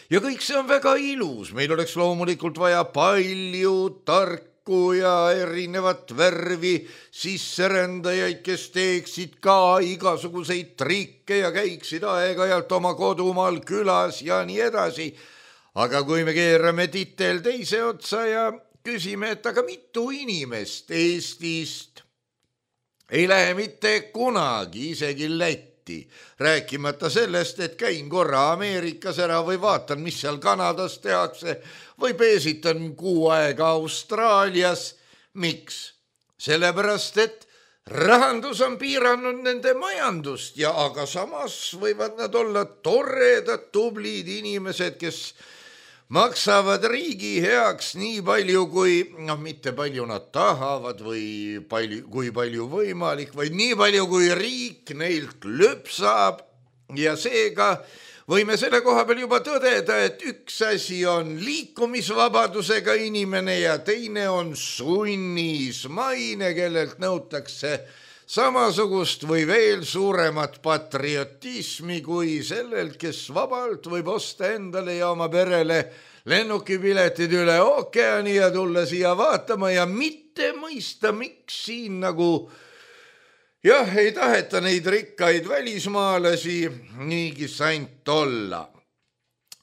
Ja kõik see on väga ilus, meil oleks loomulikult vaja palju tarku ja erinevat värvi sisserändajaid, kes teeksid ka igasuguseid trikke ja käiksid aeg-ajalt oma kodumaal külas ja nii edasi. Aga kui me keerame titel teise otsa ja küsime, et aga mitu inimest Eestist ei lähe mitte kunagi isegi Lätti, rääkimata sellest, et käin korra Ameerikas ära või vaatan, mis seal Kanadas tehakse või peesitan kuu aega Austraalias. Miks? Sellepärast, et rahandus on piiranud nende majandust ja aga samas võivad nad olla toredad, tublid inimesed, kes maksavad riigi heaks nii palju, kui, noh, mitte palju nad tahavad või palju, kui palju võimalik, või nii palju, kui riik neilt lüpsab ja seega võime selle koha peal juba tõdeda, et üks asi on liikumisvabadusega inimene ja teine on sunnismaine, kellelt nõutakse samasugust või veel suuremat patriotismi kui sellelt, kes vabalt võib osta endale ja oma perele lennukipiletid üle ookeani ja tulla siia vaatama ja mitte mõista, miks siin nagu jah, ei taheta neid rikkaid välismaalasi niigi sant olla.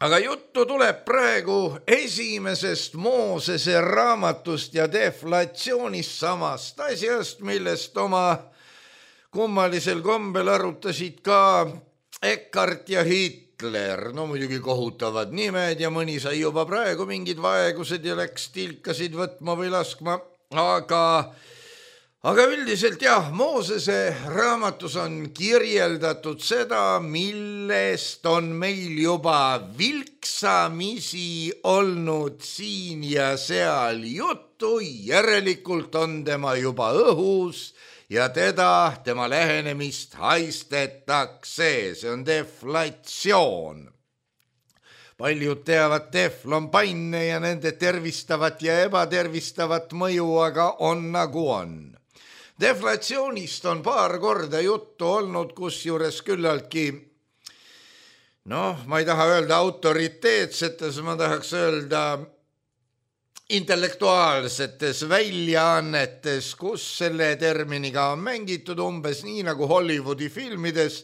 Aga juttu tuleb praegu esimesest Moosese raamatust ja deflatsioonist, samast asjast, millest oma kummalisel kombel arutasid ka Eckart ja Hitler. No muidugi kohutavad nimed ja mõni sai juba praegu mingid vaegused ja läks tilkasid võtma või laskma, aga Aga üldiselt jah, Moosese raamatus on kirjeldatud seda, millest on meil juba vilksamisi olnud siin ja seal juttu, järelikult on tema juba õhus ja teda, tema lähenemist haistetakse, see on deflatsioon. Paljud teavad teflonpanne ja nende tervistavat ja ebatervistavat mõju, aga on nagu on. Deflatsioonist on paar korda juttu olnud, kusjuures küllaltki, noh, ma ei taha öelda autoriteetsetes, ma tahaks öelda intellektuaalsetes väljaannetes, kus selle terminiga on mängitud umbes nii nagu Hollywoodi filmides,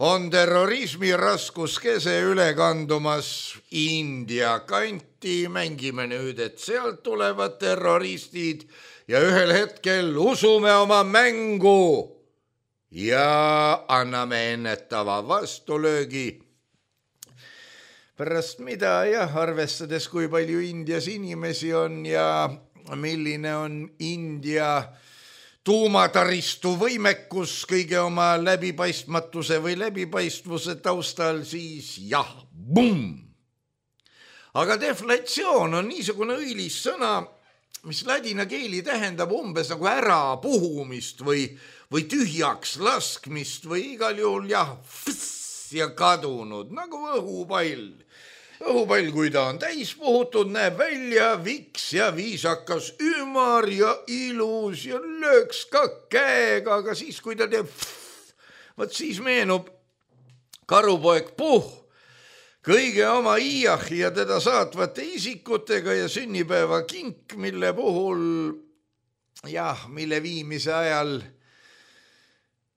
on terrorismi raskuskese üle kandumas India kanti, mängime nüüd, et sealt tulevad terroristid ja ühel hetkel usume oma mängu ja anname ennetava vastulöögi. Pärast mida jah, arvestades kui palju Indias inimesi on ja milline on India tuumataristu võimekus kõige oma läbipaistmatuse või läbipaistvuse taustal, siis jah, bum! Aga deflatsioon on niisugune õilis sõna, mis ladina keeli tähendab umbes nagu ärapuhumist või, või tühjaks laskmist või igal juhul jah, fss ja kadunud, nagu õhupall. Õhupall, kui ta on täis puhutud, näeb välja viks ja viisakas, ümar ja ilus ja lööks ka käega, aga siis, kui ta teeb fss, võt siis meenub karupoeg Puh, kõige oma iiahi ja teda saatvate isikutega ja sünnipäeva kink, mille puhul, jah, mille viimise ajal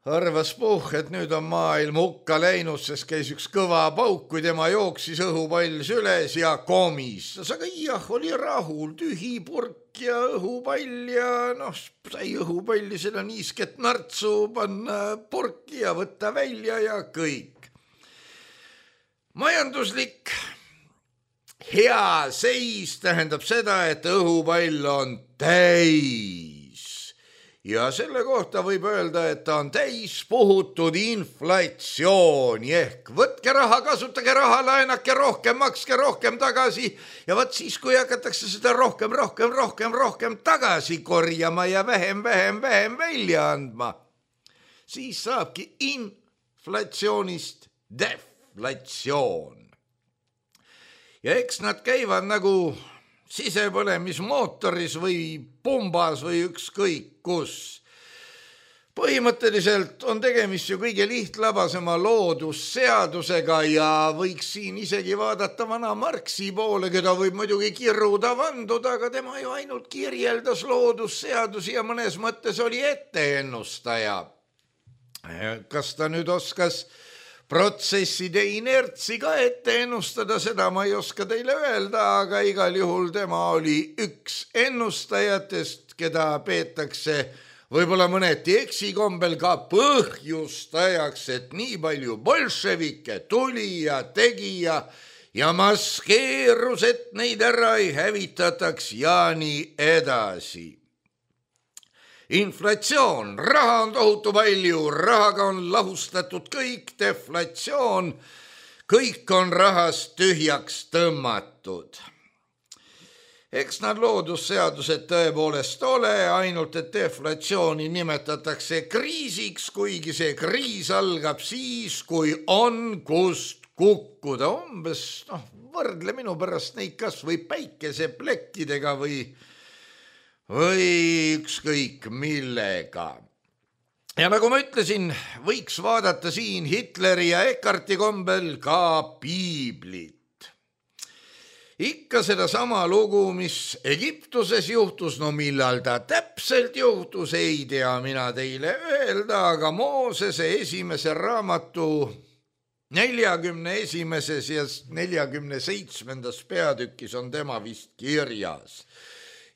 arvas Puh, et nüüd on maailm hukka läinud, sest käis üks kõva pauk, kui tema jooksis õhupall süles ja komistas, aga iiah oli rahul, tühi purk ja õhupall ja noh, sai õhupalli seda niisket nartsu panna purki ja võtta välja ja kõik. Majanduslik hea seis tähendab seda, et õhupall on täis ja selle kohta võib öelda, et ta on täis puhutud inflatsiooni ehk võtke raha, kasutage raha, laenake rohkem, makske rohkem tagasi ja võt siis, kui hakatakse seda rohkem, rohkem, rohkem, rohkem tagasi korjama ja vähem, vähem, vähem välja andma, siis saabki inflatsioonist def. Inflatsioon. Ja eks nad käivad nagu sisepõlemismootoris või pumbas või ükskõik kus. Põhimõtteliselt on tegemist ju kõige lihtlabasema loodusseadusega ja võiks siin isegi vaadata vana Marxi poole, keda võib muidugi kirruda vanduda, aga tema ju ainult kirjeldas loodusseadusi ja mõnes mõttes oli etteennustaja. Kas ta nüüd oskas protsesside inertsi ka ette ennustada, seda ma ei oska teile öelda, aga igal juhul tema oli üks ennustajatest, keda peetakse võib-olla mõneti eksikombel ka põhjustajaks, et nii palju bolševike tuli ja tegi ja, ja maskeerus, et neid ära ei hävitataks ja nii edasi. Inflatsioon, raha on tohutu palju, rahaga on lahustatud kõik, deflatsioon, kõik on rahast tühjaks tõmmatud. Eks nad loodusseadused tõepoolest ole, ainult et deflatsiooni nimetatakse kriisiks, kuigi see kriis algab siis, kui on kust kukkuda. Umbes, noh, võrdle minu pärast neid kas või päikeseplekkidega või või ükskõik millega. ja nagu ma ütlesin, võiks vaadata siin Hitleri ja Eckarti kombel ka piiblit. Ikka seda sama lugu, mis Egiptuses juhtus, no millal ta täpselt juhtus, ei tea mina teile öelda, aga Moosese esimese raamatu neljakümne esimeses ja neljakümne seitsmendas peatükis on tema vist kirjas.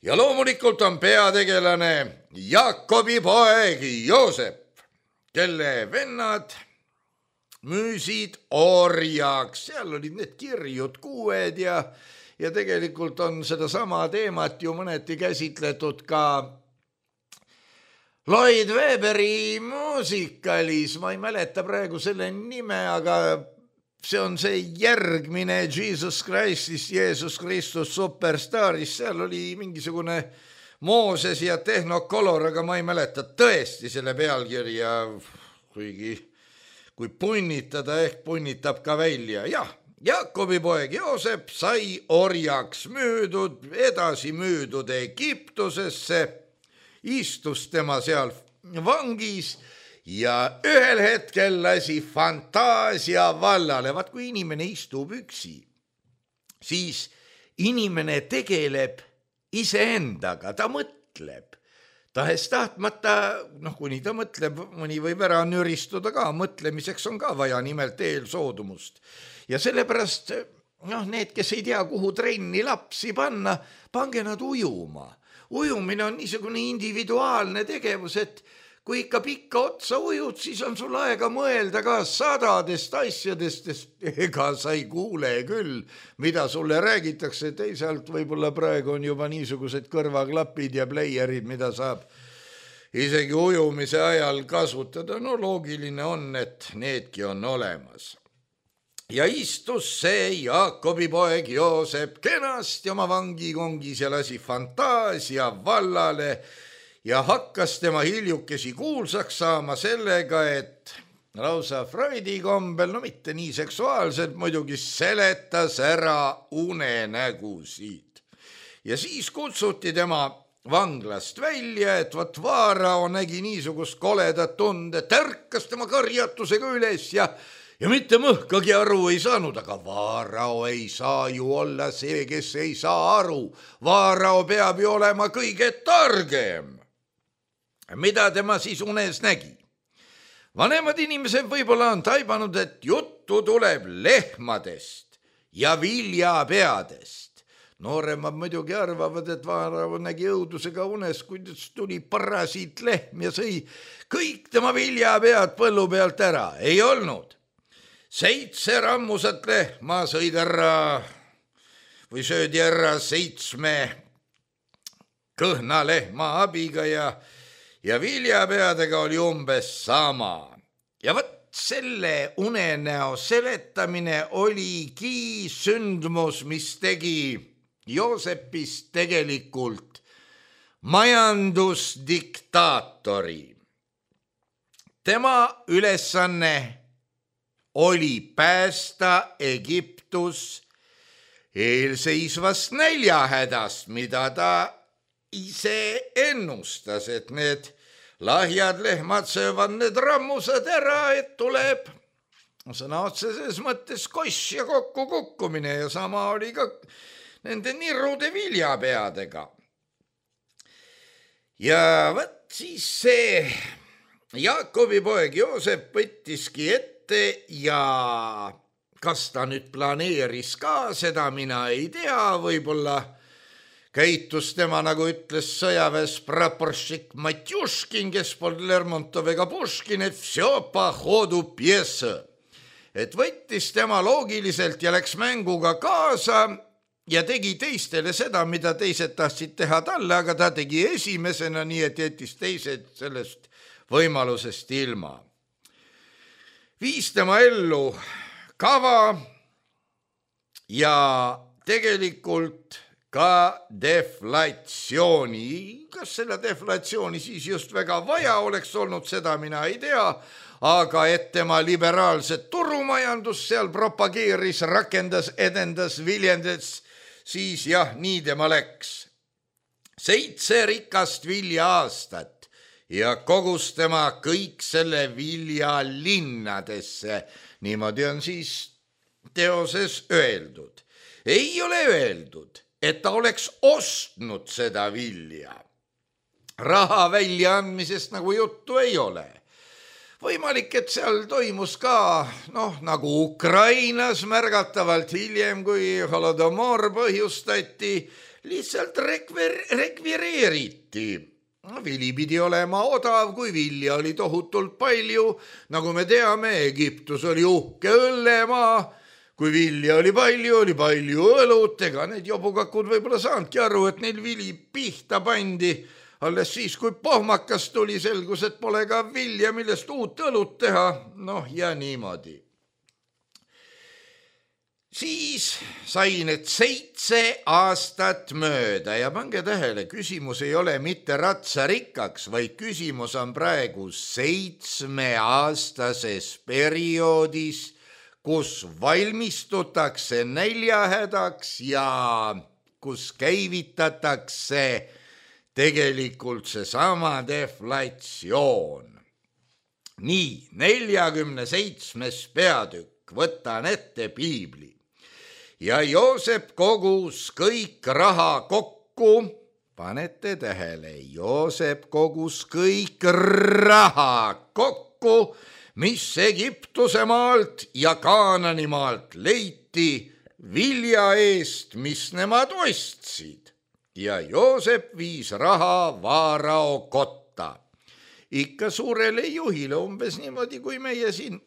Ja loomulikult on peategelane Jaakobi poeg Joosep, kelle vennad müüsid orjaks, seal olid need kirjud kuued ja, ja tegelikult on seda sama teemat ju mõneti käsitletud ka Lloyd Webberi muusikalis, ma ei mäleta praegu selle nime, aga see on see järgmine Jesus Christist, Jeesus Kristus Superstaris, seal oli mingisugune Mooses ja Technicolor, aga ma ei mäleta tõesti selle pealkirja, kuigi kui punnitada, ehk punnitab ka välja. Jah, Jaakobi poeg Joosep sai orjaks müüdud, edasi müüdud Egiptusesse, istus tema seal vangis ja ühel hetkel lasi fantaasia vallale. Vaat kui inimene istub üksi, siis inimene tegeleb iseendaga, ta mõtleb. Tahes tahtmata, noh, kuni ta mõtleb, mõni võib ära nüristuda ka, mõtlemiseks on ka vaja nimelt eelsoodumust. Ja sellepärast, noh, need, kes ei tea, kuhu trenni lapsi panna, pange nad ujuma. Ujumine on niisugune individuaalne tegevus, et kui ikka pikka otsa ujud, siis on sul aega mõelda ka sadadest asjadest, ega sa ei kuule küll, mida sulle räägitakse. Teisalt võib-olla praegu on juba niisugused kõrvaklapid ja pleierid, mida saab isegi ujumise ajal kasutada. No loogiline on, et needki on olemas. Ja istus see Jaakobi poeg Joosep kenasti oma vangikongis ja lasi fantaasia vallale ja hakkas tema hiljukesi kuulsaks saama sellega, et lausa Freudi kombel, no mitte nii seksuaalselt, muidugi seletas ära unenägusid. Ja siis kutsuti tema vanglast välja, et vat Vaarao nägi niisugust koledat tunde, tärkas tema karjatusega üles ja, ja mitte mõhkagi aru ei saanud, aga Vaarao ei saa ju olla see, kes ei saa aru. Vaarao peab ju olema kõige targem. Mida tema siis unes nägi? Vanemad inimesed võib-olla on taibanud, et juttu tuleb lehmadest ja viljapeadest. Nooremad muidugi arvavad, et Vaarao nägi õudusega unes, kuidas tuli parasiit lehm ja sõi kõik tema viljapead põllu pealt ära. Ei olnud. Seitse rammusat lehma sõid ära või söödi ära seitsme kõhna lehma abiga ja Ja viljapeadega oli umbes sama. Ja võt selle unenäo seletamine oligi sündmus, mis tegi Joosepist tegelikult majandusdiktaatori. Tema ülesanne oli päästa Egiptus eelseisvast näljahädast, mida ta ise ennustas, et need lahjad lehmad söövad need rammusad ära, et tuleb sõna otseses mõttes koss ja kokku kukkumine ja sama oli ka nende nirude viljapeadega. Ja võt siis see Jaakobi poeg Joosep võttiski ette ja kas ta nüüd planeeris ka seda, mina ei tea, võib-olla käitus tema, nagu ütles sõjaväes praporšik Matjuškin, kes polnud Lermontov ega Puškin, et vsё по ходу пьесы. Et võttis tema loogiliselt ja läks mänguga kaasa ja tegi teistele seda, mida teised tahtsid teha talle, aga ta tegi esimesena, nii et jättis teised sellest võimalusest ilma. Viis tema ellu kava ja tegelikult ka deflatsiooni. Kas selle deflatsiooni siis just väga vaja oleks olnud, seda mina ei tea, aga et tema liberaalset turumajandus seal propageeris, rakendas, edendas, viljendas, siis jah, nii tema läks. Seitse rikast vilja aastat ja kogus tema kõik selle vilja linnadesse. Niimoodi on siis teoses öeldud. Ei ole öeldud, et ta oleks ostnud seda vilja. Raha väljaandmisest nagu juttu ei ole. Võimalik, et seal toimus ka, noh, nagu Ukrainas märgatavalt hiljem, kui holodomor põhjustati, lihtsalt rekver, rekvireeriti. Vili pidi olema odav, kui vilja oli tohutult palju. Nagu me teame, Egiptus oli uhke õllemaa. Kui vilja oli palju, oli palju õlut, ega need jobukakud võib-olla saanudki aru, et neil vili pihta pandi. Alles siis, kui pohmakas tuli, selgus, et pole ka vilja, millest uut õlut teha. Noh, ja niimoodi. Siis sai need seitse aastat mööda ja pange tähele, küsimus ei ole mitte ratsarikkaks, vaid küsimus on praegu seitsmeaastases perioodis, kus valmistutakse näljahädaks ja kus käivitatakse tegelikult seesama deflatsioon. Nii, neljakümne seitsmes peatükk, võtan ette piibli. Ja Joosep kogus kõik raha kokku, panete tähele, Joosep kogus kõik raha kokku, mis Egiptuse maalt ja Kaanani maalt leiti vilja eest, mis nemad ostsid. Ja Joosep viis raha Vaarao kotta. Ikka suurele juhile umbes niimoodi, kui meie siin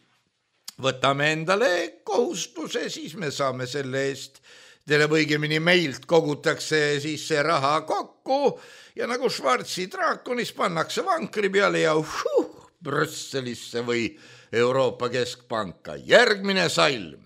võtame endale kohustuse, siis me saame selle eest, teile õigemini meilt kogutakse siis see raha kokku ja nagu Schwarzi draakonis pannakse vankri peale ja uh, Brüsselisse või Euroopa Keskpanka. Järgmine salm.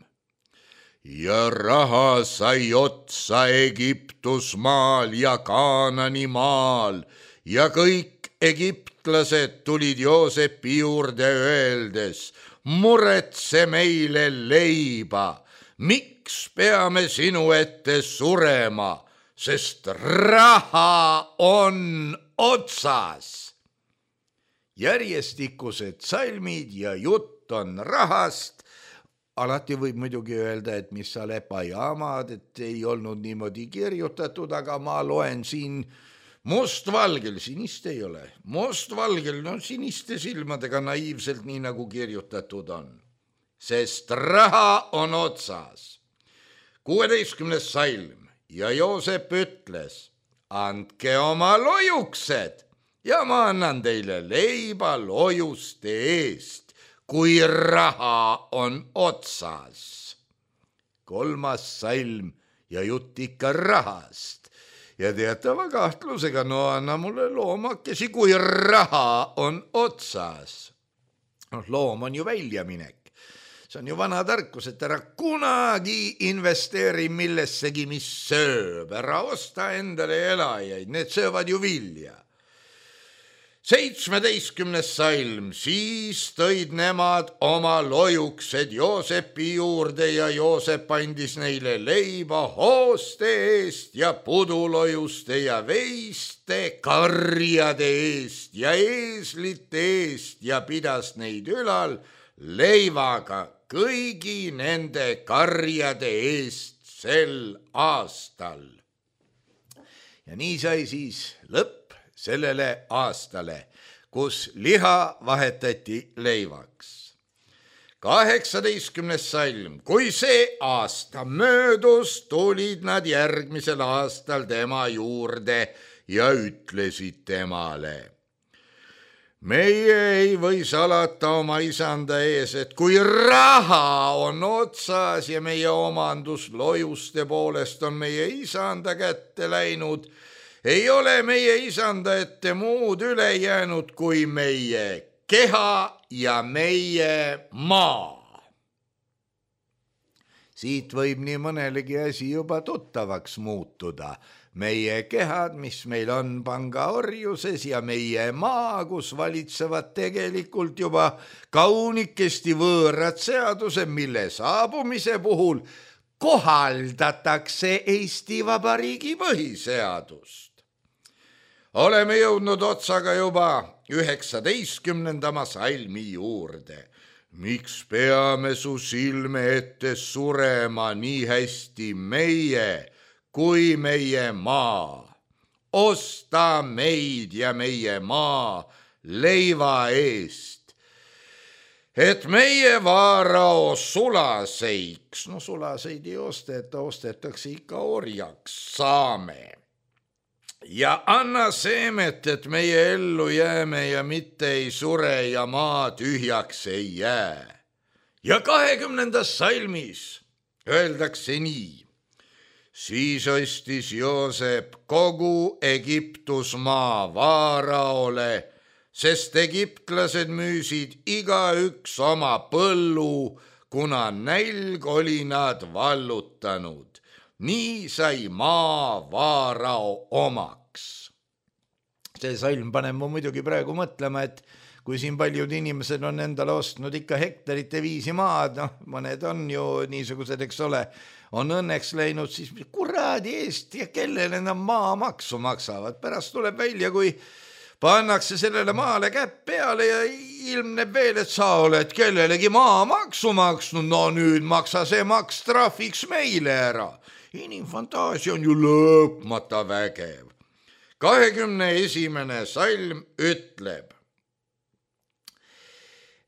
Ja raha sai otsa Egiptusmaal ja Kaanani maal ja kõik egiptlased tulid Joosepi juurde öeldes, muretse meile leiba, miks peame sinu ette surema, sest raha on otsas. Järjestikused salmid ja jutt on rahast. Alati võib muidugi öelda, et mis sa lepa jaamad, et ei olnud niimoodi kirjutatud, aga ma loen siin mustvalgel, sinist ei ole, mustvalgel, no siniste silmadega naiivselt, nii nagu kirjutatud on. Sest raha on otsas. kuueteistkümnes salm ja Joosep ütles, andke oma lojuksed. Ja ma annan teile leiba lojuste eest, kui raha on otsas. Kolmas salm ja jutt ikka rahast. Ja teatava kahtlusega, no anna mulle loomakesi, kui raha on otsas. No, loom on ju väljaminek. See on ju vana tarkus, et ära kunagi investeeri millessegi, mis sööb. Ära osta endale elajaid, need söövad ju vilja. Seitsmeteistkümnes salm, siis tõid nemad oma lojuksed Joosepi juurde ja Joosep andis neile leiba hooste eest ja pudulojuste ja veiste, karjade eest ja eeslite eest ja pidas neid ülal leivaga kõigi nende karjade eest sel aastal. Ja nii sai siis lõpp sellele aastale, kus liha vahetati leivaks. Kaheksateistkümnes salm, kui see aasta möödus, tulid nad järgmisel aastal tema juurde ja ütlesid temale. Meie ei või salata oma isanda ees, et kui raha on otsas ja meie omandus lojuste poolest on meie isanda kätte läinud, ei ole meie isanda ette muud üle jäänud kui meie keha ja meie maa. Siit võib nii mõnelegi asi juba tuttavaks muutuda. Meie kehad, mis meil on pangaorjuses ja meie maa, kus valitsevad tegelikult juba kaunikesti võõrad seadused, mille saabumise puhul kohaldatakse Eesti Vabariigi põhiseadust. oleme jõudnud otsaga juba üheksateistkümnendama salmi juurde. Miks peame su silme ette surema nii hästi meie kui meie maa? Osta meid ja meie maa leiva eest, et meie vaarao sulaseiks, no sulaseid ei osteta, ostetakse ikka orjaks, saame. Ja anna seemet, et meie ellu jääme ja mitte ei sure ja maa tühjaks ei jää. Ja kahekümnendas salmis öeldakse nii. Siis ostis Joosep kogu Egiptusmaa vaaraole, sest egiptlased müüsid igaüks oma põllu, kuna nälg oli nad vallutanud. Nii sai maa vaarao omaks. See salm paneb mu muidugi praegu mõtlema, et kui siin paljud inimesed on endale ostnud ikka hektarite viisi maad, noh, mõned on ju niisugused, eks ole, on õnneks läinud, siis kuradi eest ja kellele nad maamaksu maksavad. Pärast tuleb välja, kui pannakse sellele maale käpp peale ja ilmneb veel, et sa oled kellelegi maamaksu maksnud, no nüüd maksa see maks trahviks meile ära. Inimfantaasia on ju lõpmata vägev. kahekümne esimene salm ütleb,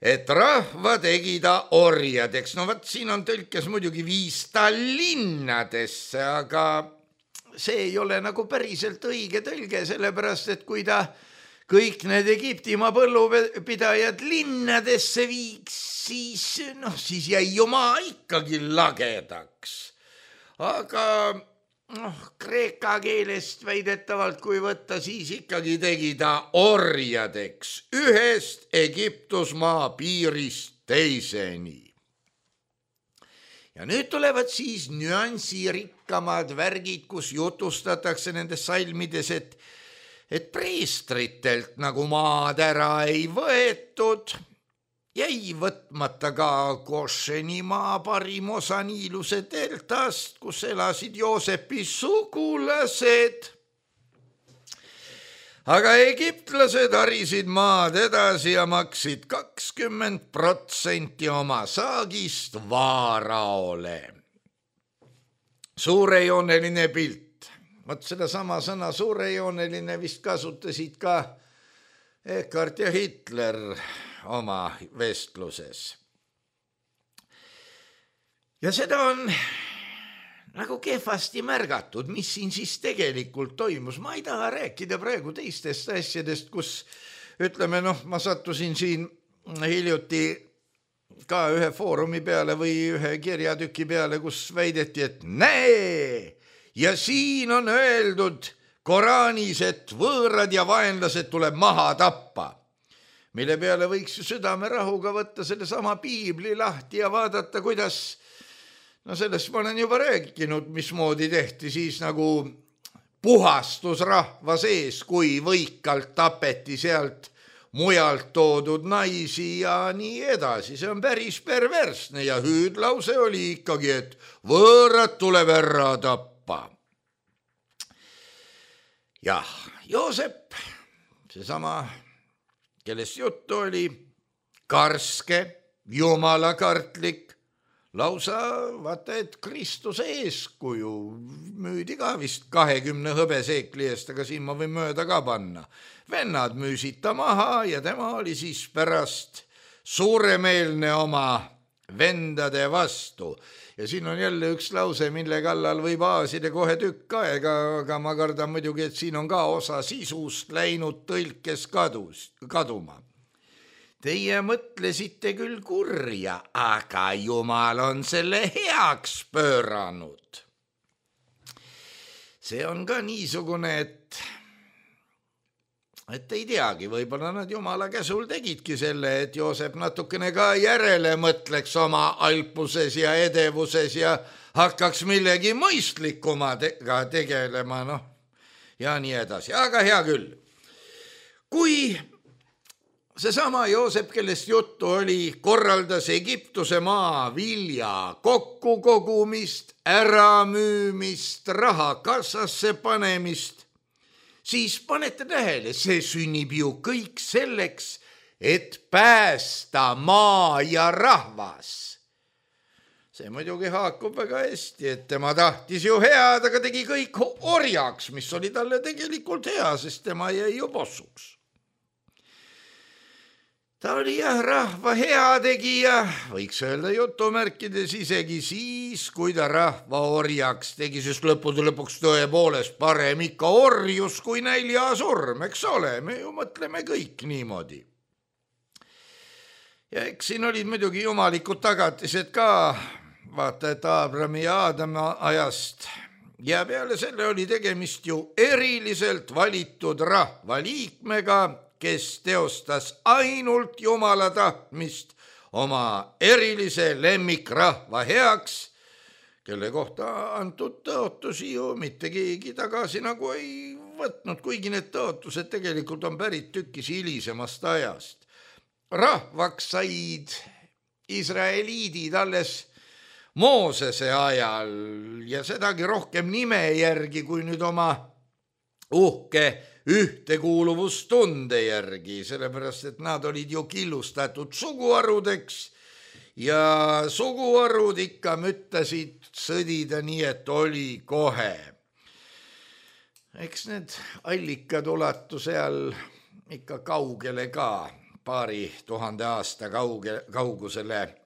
et rahva tegi ta orjadeks. No vat siin on tõlkes muidugi viis ta linnadesse, aga see ei ole nagu päriselt õige tõlge, sellepärast et kui ta kõik need Egiptimaa põllupidajad linnadesse viiks, siis, noh, siis jäi ju maa ikkagi lagedaks. Aga noh, kreeka keelest väidetavalt, kui võtta, siis ikkagi tegi ta orjadeks ühest Egiptusmaa piirist teiseni. Ja nüüd tulevad siis nüansirikkamad värgid, kus jutustatakse nendes salmides, et, et preestritelt nagu maad ära ei võetud, jäi võtmata ka Gošenimaa parim osa Niiluse deltast, kus elasid Joosepi sugulased. Aga egiptlased harisid maad edasi ja maksid kakskümmend protsenti oma saagist vaaraole. Suurejooneline pilt. Vot seda sama sõna suurejooneline vist kasutasid ka Eckhart ja Hitler oma vestluses. Ja seda on nagu kehvasti märgatud, mis siin siis tegelikult toimus. Ma ei taha rääkida praegu teistest asjadest, kus ütleme, noh, ma sattusin siin hiljuti ka ühe foorumi peale või ühe kirjatüki peale, kus väideti, et näe, ja siin on öeldud Koraanis, et võõrad ja vaenlased tuleb maha tappa. Mille peale võiks ju südamerahuga võtta selle sama piibli lahti ja vaadata, kuidas, no sellest ma olen juba rääkinud, mismoodi tehti siis nagu puhastus rahva sees, kui võikalt tapeti sealt mujalt toodud naisi ja nii edasi. See on päris perversne ja hüüdlause oli ikkagi, et võõrad tuleb ära tappa. Jah, Joosep, seesama kellest juttu oli, karske, jumalakartlik, lausa vaata, et Kristuse eeskuju müüdi ka vist kahekümne hõbeseekli eest, aga siin ma võin mööda ka panna. Vennad müüsid ta maha ja tema oli siis pärast suuremeelne oma vendade vastu. Ja siin on jälle üks lause, mille kallal võib aasida kohe tükk aega, aga ma kardan muidugi, et siin on ka osa sisust läinud tõlkes kadus, kaduma. Teie mõtlesite küll kurja, aga Jumal on selle heaks pööranud. See on ka niisugune, et et ei teagi, võib-olla nad Jumala käsul tegidki selle, et Joosep natukene ka järele mõtleks oma alpuses ja edevuses ja hakkaks millegi mõistlikumaga tegelema, noh, ja nii edasi. Aga hea küll. Kui seesama Joosep, kellest juttu oli, korraldas Egiptuse maa vilja kokkukogumist, äramüümist, raha kassasse panemist, siis panete tähele, see sünnib ju kõik selleks, et päästa maa ja rahvas. See muidugi haakub väga hästi, et tema tahtis ju head, aga tegi kõik orjaks, mis oli talle tegelikult hea, sest tema jäi ju possuks. Ta oli jah rahva heategija, võiks öelda jutumärkides isegi siis, kui ta rahva orjaks tegi, sest lõppude lõpuks tõepoolest parem ikka orjus kui näljasurm, eks ole, me ju mõtleme kõik niimoodi. Ja eks siin olid muidugi jumalikud tagatised ka, vaata, et Aabrami ja Aadama ajast ja peale selle oli tegemist ju eriliselt valitud rahvaliikmega, kes teostas ainult Jumala tahtmist oma erilise lemmikrahva heaks, kelle kohta antud tõotusi ju mitte keegi tagasi nagu ei võtnud, kuigi need tõotused tegelikult on pärit tükis hilisemast ajast. Rahvaks said Israeliidid alles Moosese ajal ja sedagi rohkem nime järgi kui nüüd oma uhke ühtekuuluvustunde järgi, sellepärast et nad olid ju killustatud suguharudeks ja suguharud ikka müttasid sõdida nii, et oli kohe. Eks need allikad ulatu seal ikka kaugele ka, paari tuhande aasta kauge, kaugusele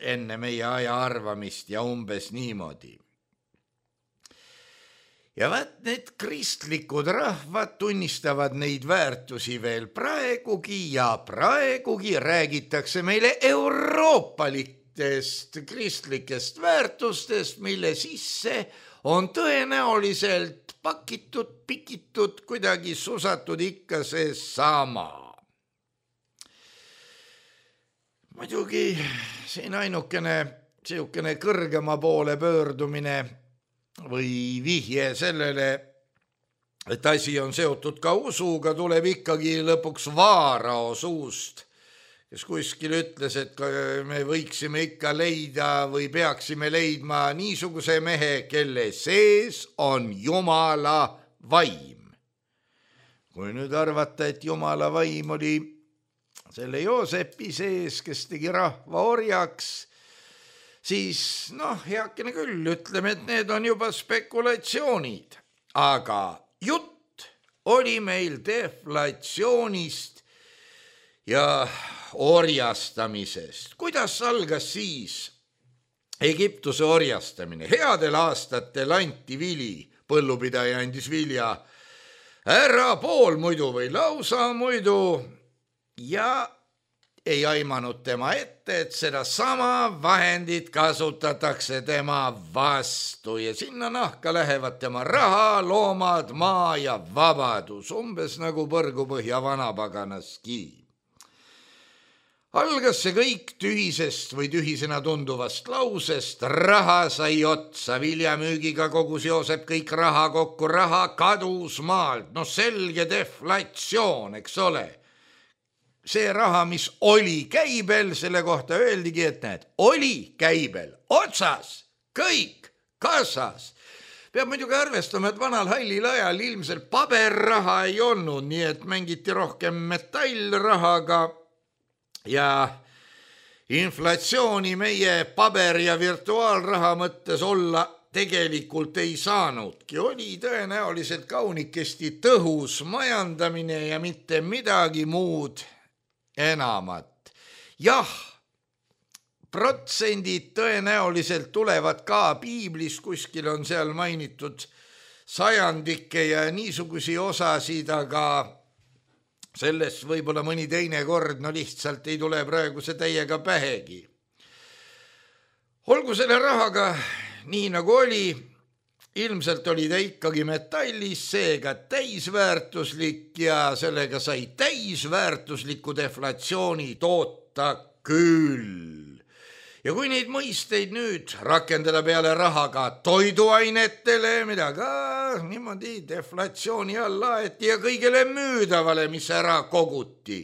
enne meie aja arvamist ja umbes niimoodi. Ja vaat need kristlikud rahvad tunnistavad neid väärtusi veel praegugi ja praegugi räägitakse meile euroopalitest kristlikest väärtustest, mille sisse on tõenäoliselt pakitud, pikitud, kuidagi susatud ikka see sama. Muidugi siin ainukene siukene kõrgema poole pöördumine või vihje sellele, et asi on seotud ka usuga, tuleb ikkagi lõpuks Vaarao suust, kes kuskil ütles, et me võiksime ikka leida või peaksime leidma niisuguse mehe, kelle sees on Jumala vaim. Kui nüüd arvata, et Jumala vaim oli selle Joosepi sees, kes tegi rahva orjaks, siis noh, heakene küll, ütleme, et need on juba spekulatsioonid. Aga jutt oli meil deflatsioonist ja orjastamisest. Kuidas algas siis Egiptuse orjastamine? Headel aastatel anti vili, põllupidaja andis vilja ära pool muidu või lausa muidu, ja ei aimanud tema ette, et seda sama vahendit kasutatakse tema vastu ja sinna nahka lähevad tema raha, loomad, maa ja vabadus, umbes nagu Põrgupõhja vanapaganaski. Algas see kõik tühisest või tühisena tunduvast lausest, raha sai otsa, viljamüügiga kogus Joosep kõik raha kokku, raha kadus maalt, no selge deflatsioon, eks ole. See raha, mis oli käibel, selle kohta öeldigi, et näed, oli käibel, otsas, kõik, kassas. Peab muidugi arvestama, et vanal hallil ajal ilmselt paberraha ei olnud, nii et mängiti rohkem metallrahaga ja inflatsiooni meie paber- ja virtuaalraha mõttes olla tegelikult ei saanudki. Oli tõenäoliselt kaunikesti tõhus majandamine ja mitte midagi muud enamat. Jah, protsendid tõenäoliselt tulevad ka piiblis, kuskil on seal mainitud sajandike ja niisugusi osasid, aga sellest võib-olla mõni teine kord, no lihtsalt ei tule praegu see täiega pähegi. Olgu selle rahaga nii nagu oli, ilmselt oli ta ikkagi metallis, seega täisväärtuslik ja sellega sai täisväärtusliku deflatsiooni toota küll. Ja kui neid mõisteid nüüd rakendada peale rahaga toiduainetele, mida ka niimoodi deflatsiooni alla aeti ja kõigele müüdavale, mis ära koguti,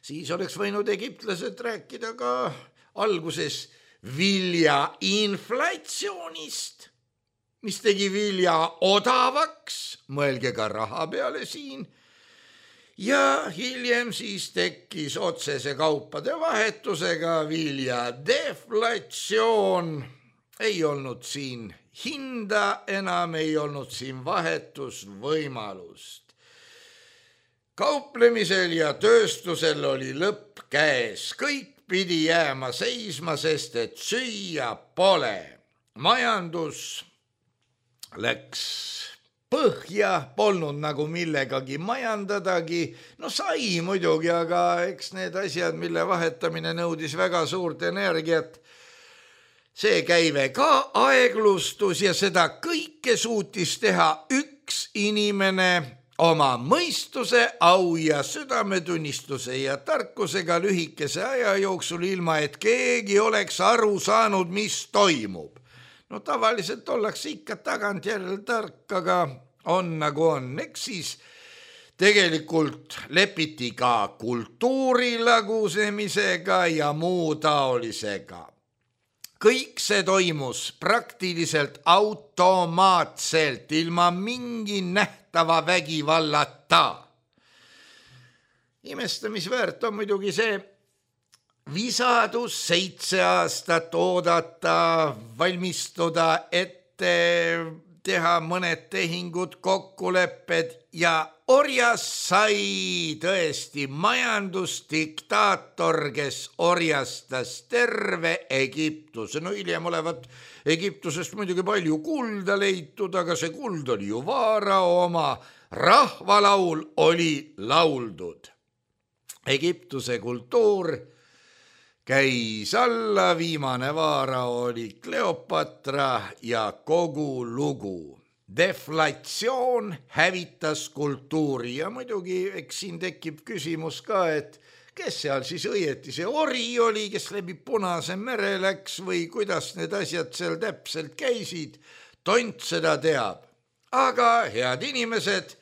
siis oleks võinud egiptlased rääkida ka alguses vilja inflatsioonist. mis tegi vilja odavaks, mõelge ka raha peale siin, ja hiljem siis tekkis otsese kaupade vahetusega vilja deflatsioon. Ei olnud siin hinda, enam ei olnud siin vahetusvõimalust. Kauplemisel ja tööstusel oli lõpp käes, kõik pidi jääma seisma, sest et süüa pole. Majandus läks põhja, polnud nagu millegagi majandadagi. No sai muidugi, aga eks need asjad, mille vahetamine nõudis väga suurt energiat, see käive ka aeglustus ja seda kõike suutis teha üks inimene oma mõistuse, au ja südametunnistuse ja tarkusega lühikese aja jooksul, ilma et keegi oleks aru saanud, mis toimub. No tavaliselt ollakse ikka tagantjärele tark, aga on nagu on. Eks siis tegelikult lepiti ka kultuuri lagusemisega ja muu taolisega. Kõik see toimus praktiliselt automaatselt, ilma mingi nähtava vägivallata. Imestamisväärt on muidugi see visadus seitse aastat oodata, valmistuda ette, teha mõned tehingud, kokkulepped ja orjas sai tõesti majandusdiktaator, kes orjastas terve Egiptuse. No hiljem olevat Egiptusest muidugi palju kulda leitud, aga see kuld oli ju vaarao oma. Rahvalaul oli lauldud. Egiptuse kultuur käis alla, viimane vaarao oli Kleopatra ja kogu lugu. Deflatsioon hävitas kultuuri ja muidugi eks siin tekib küsimus ka, et kes seal siis õieti see ori oli, kes läbi Punase mere läks või kuidas need asjad seal täpselt käisid, tont seda teab. Aga head inimesed,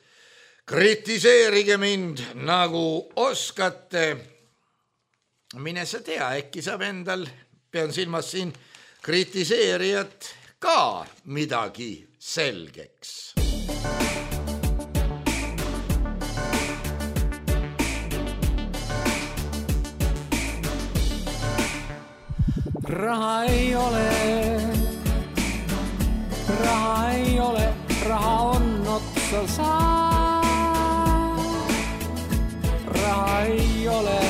kritiseerige mind nagu oskate. Mine sa tea, äkki saab endal, pean silmas siin kritiseerijat, ka midagi selgeks. Raha ei ole, raha ei ole, raha on otsa saa. Raha ei ole,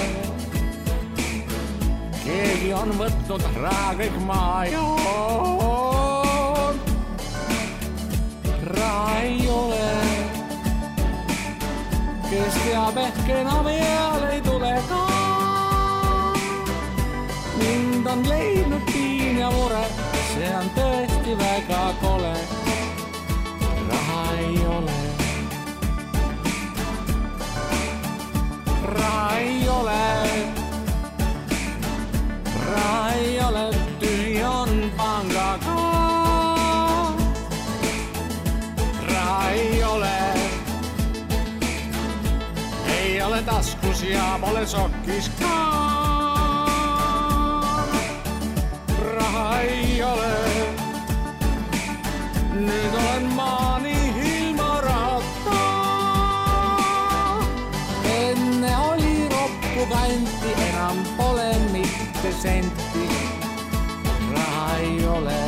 keegi on võtnud raha kõik maa joon. Raha ei ole, kes teab ehk enam eal ei tule ka. Mind on leidnud piin ja mure, see on tõesti väga kole. Raha ei ole, raha ei ole, raha ei ole, tühi on pangaga. Raha ei ole, ei ole taskus ja pole sokkis ka. Raha ei ole, nüüd olen maani ilma rahata. Enne oli roppu kanti, enam pole mitte senti. Raha ei ole.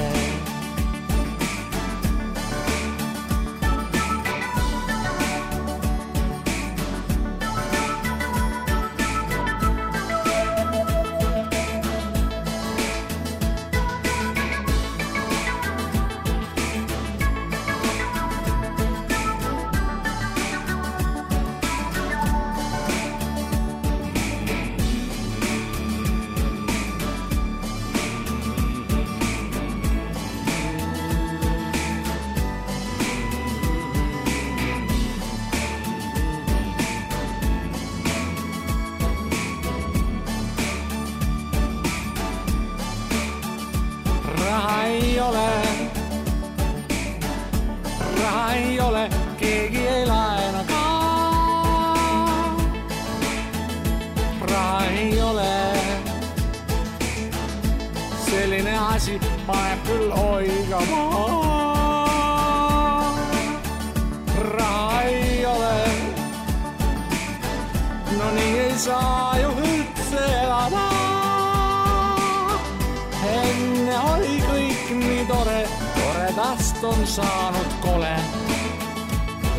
rahast on saanud kole.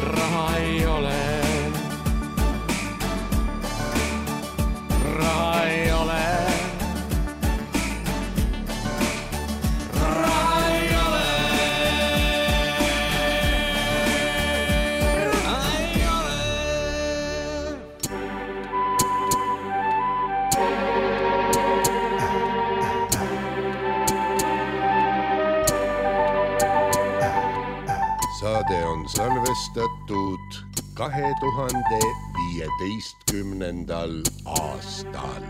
Raha ei ole. Raha ei ole. Raha ei ole. Raha ei ole. Saade on salvestatud kahe tuhande viieteistkümnendal aastal.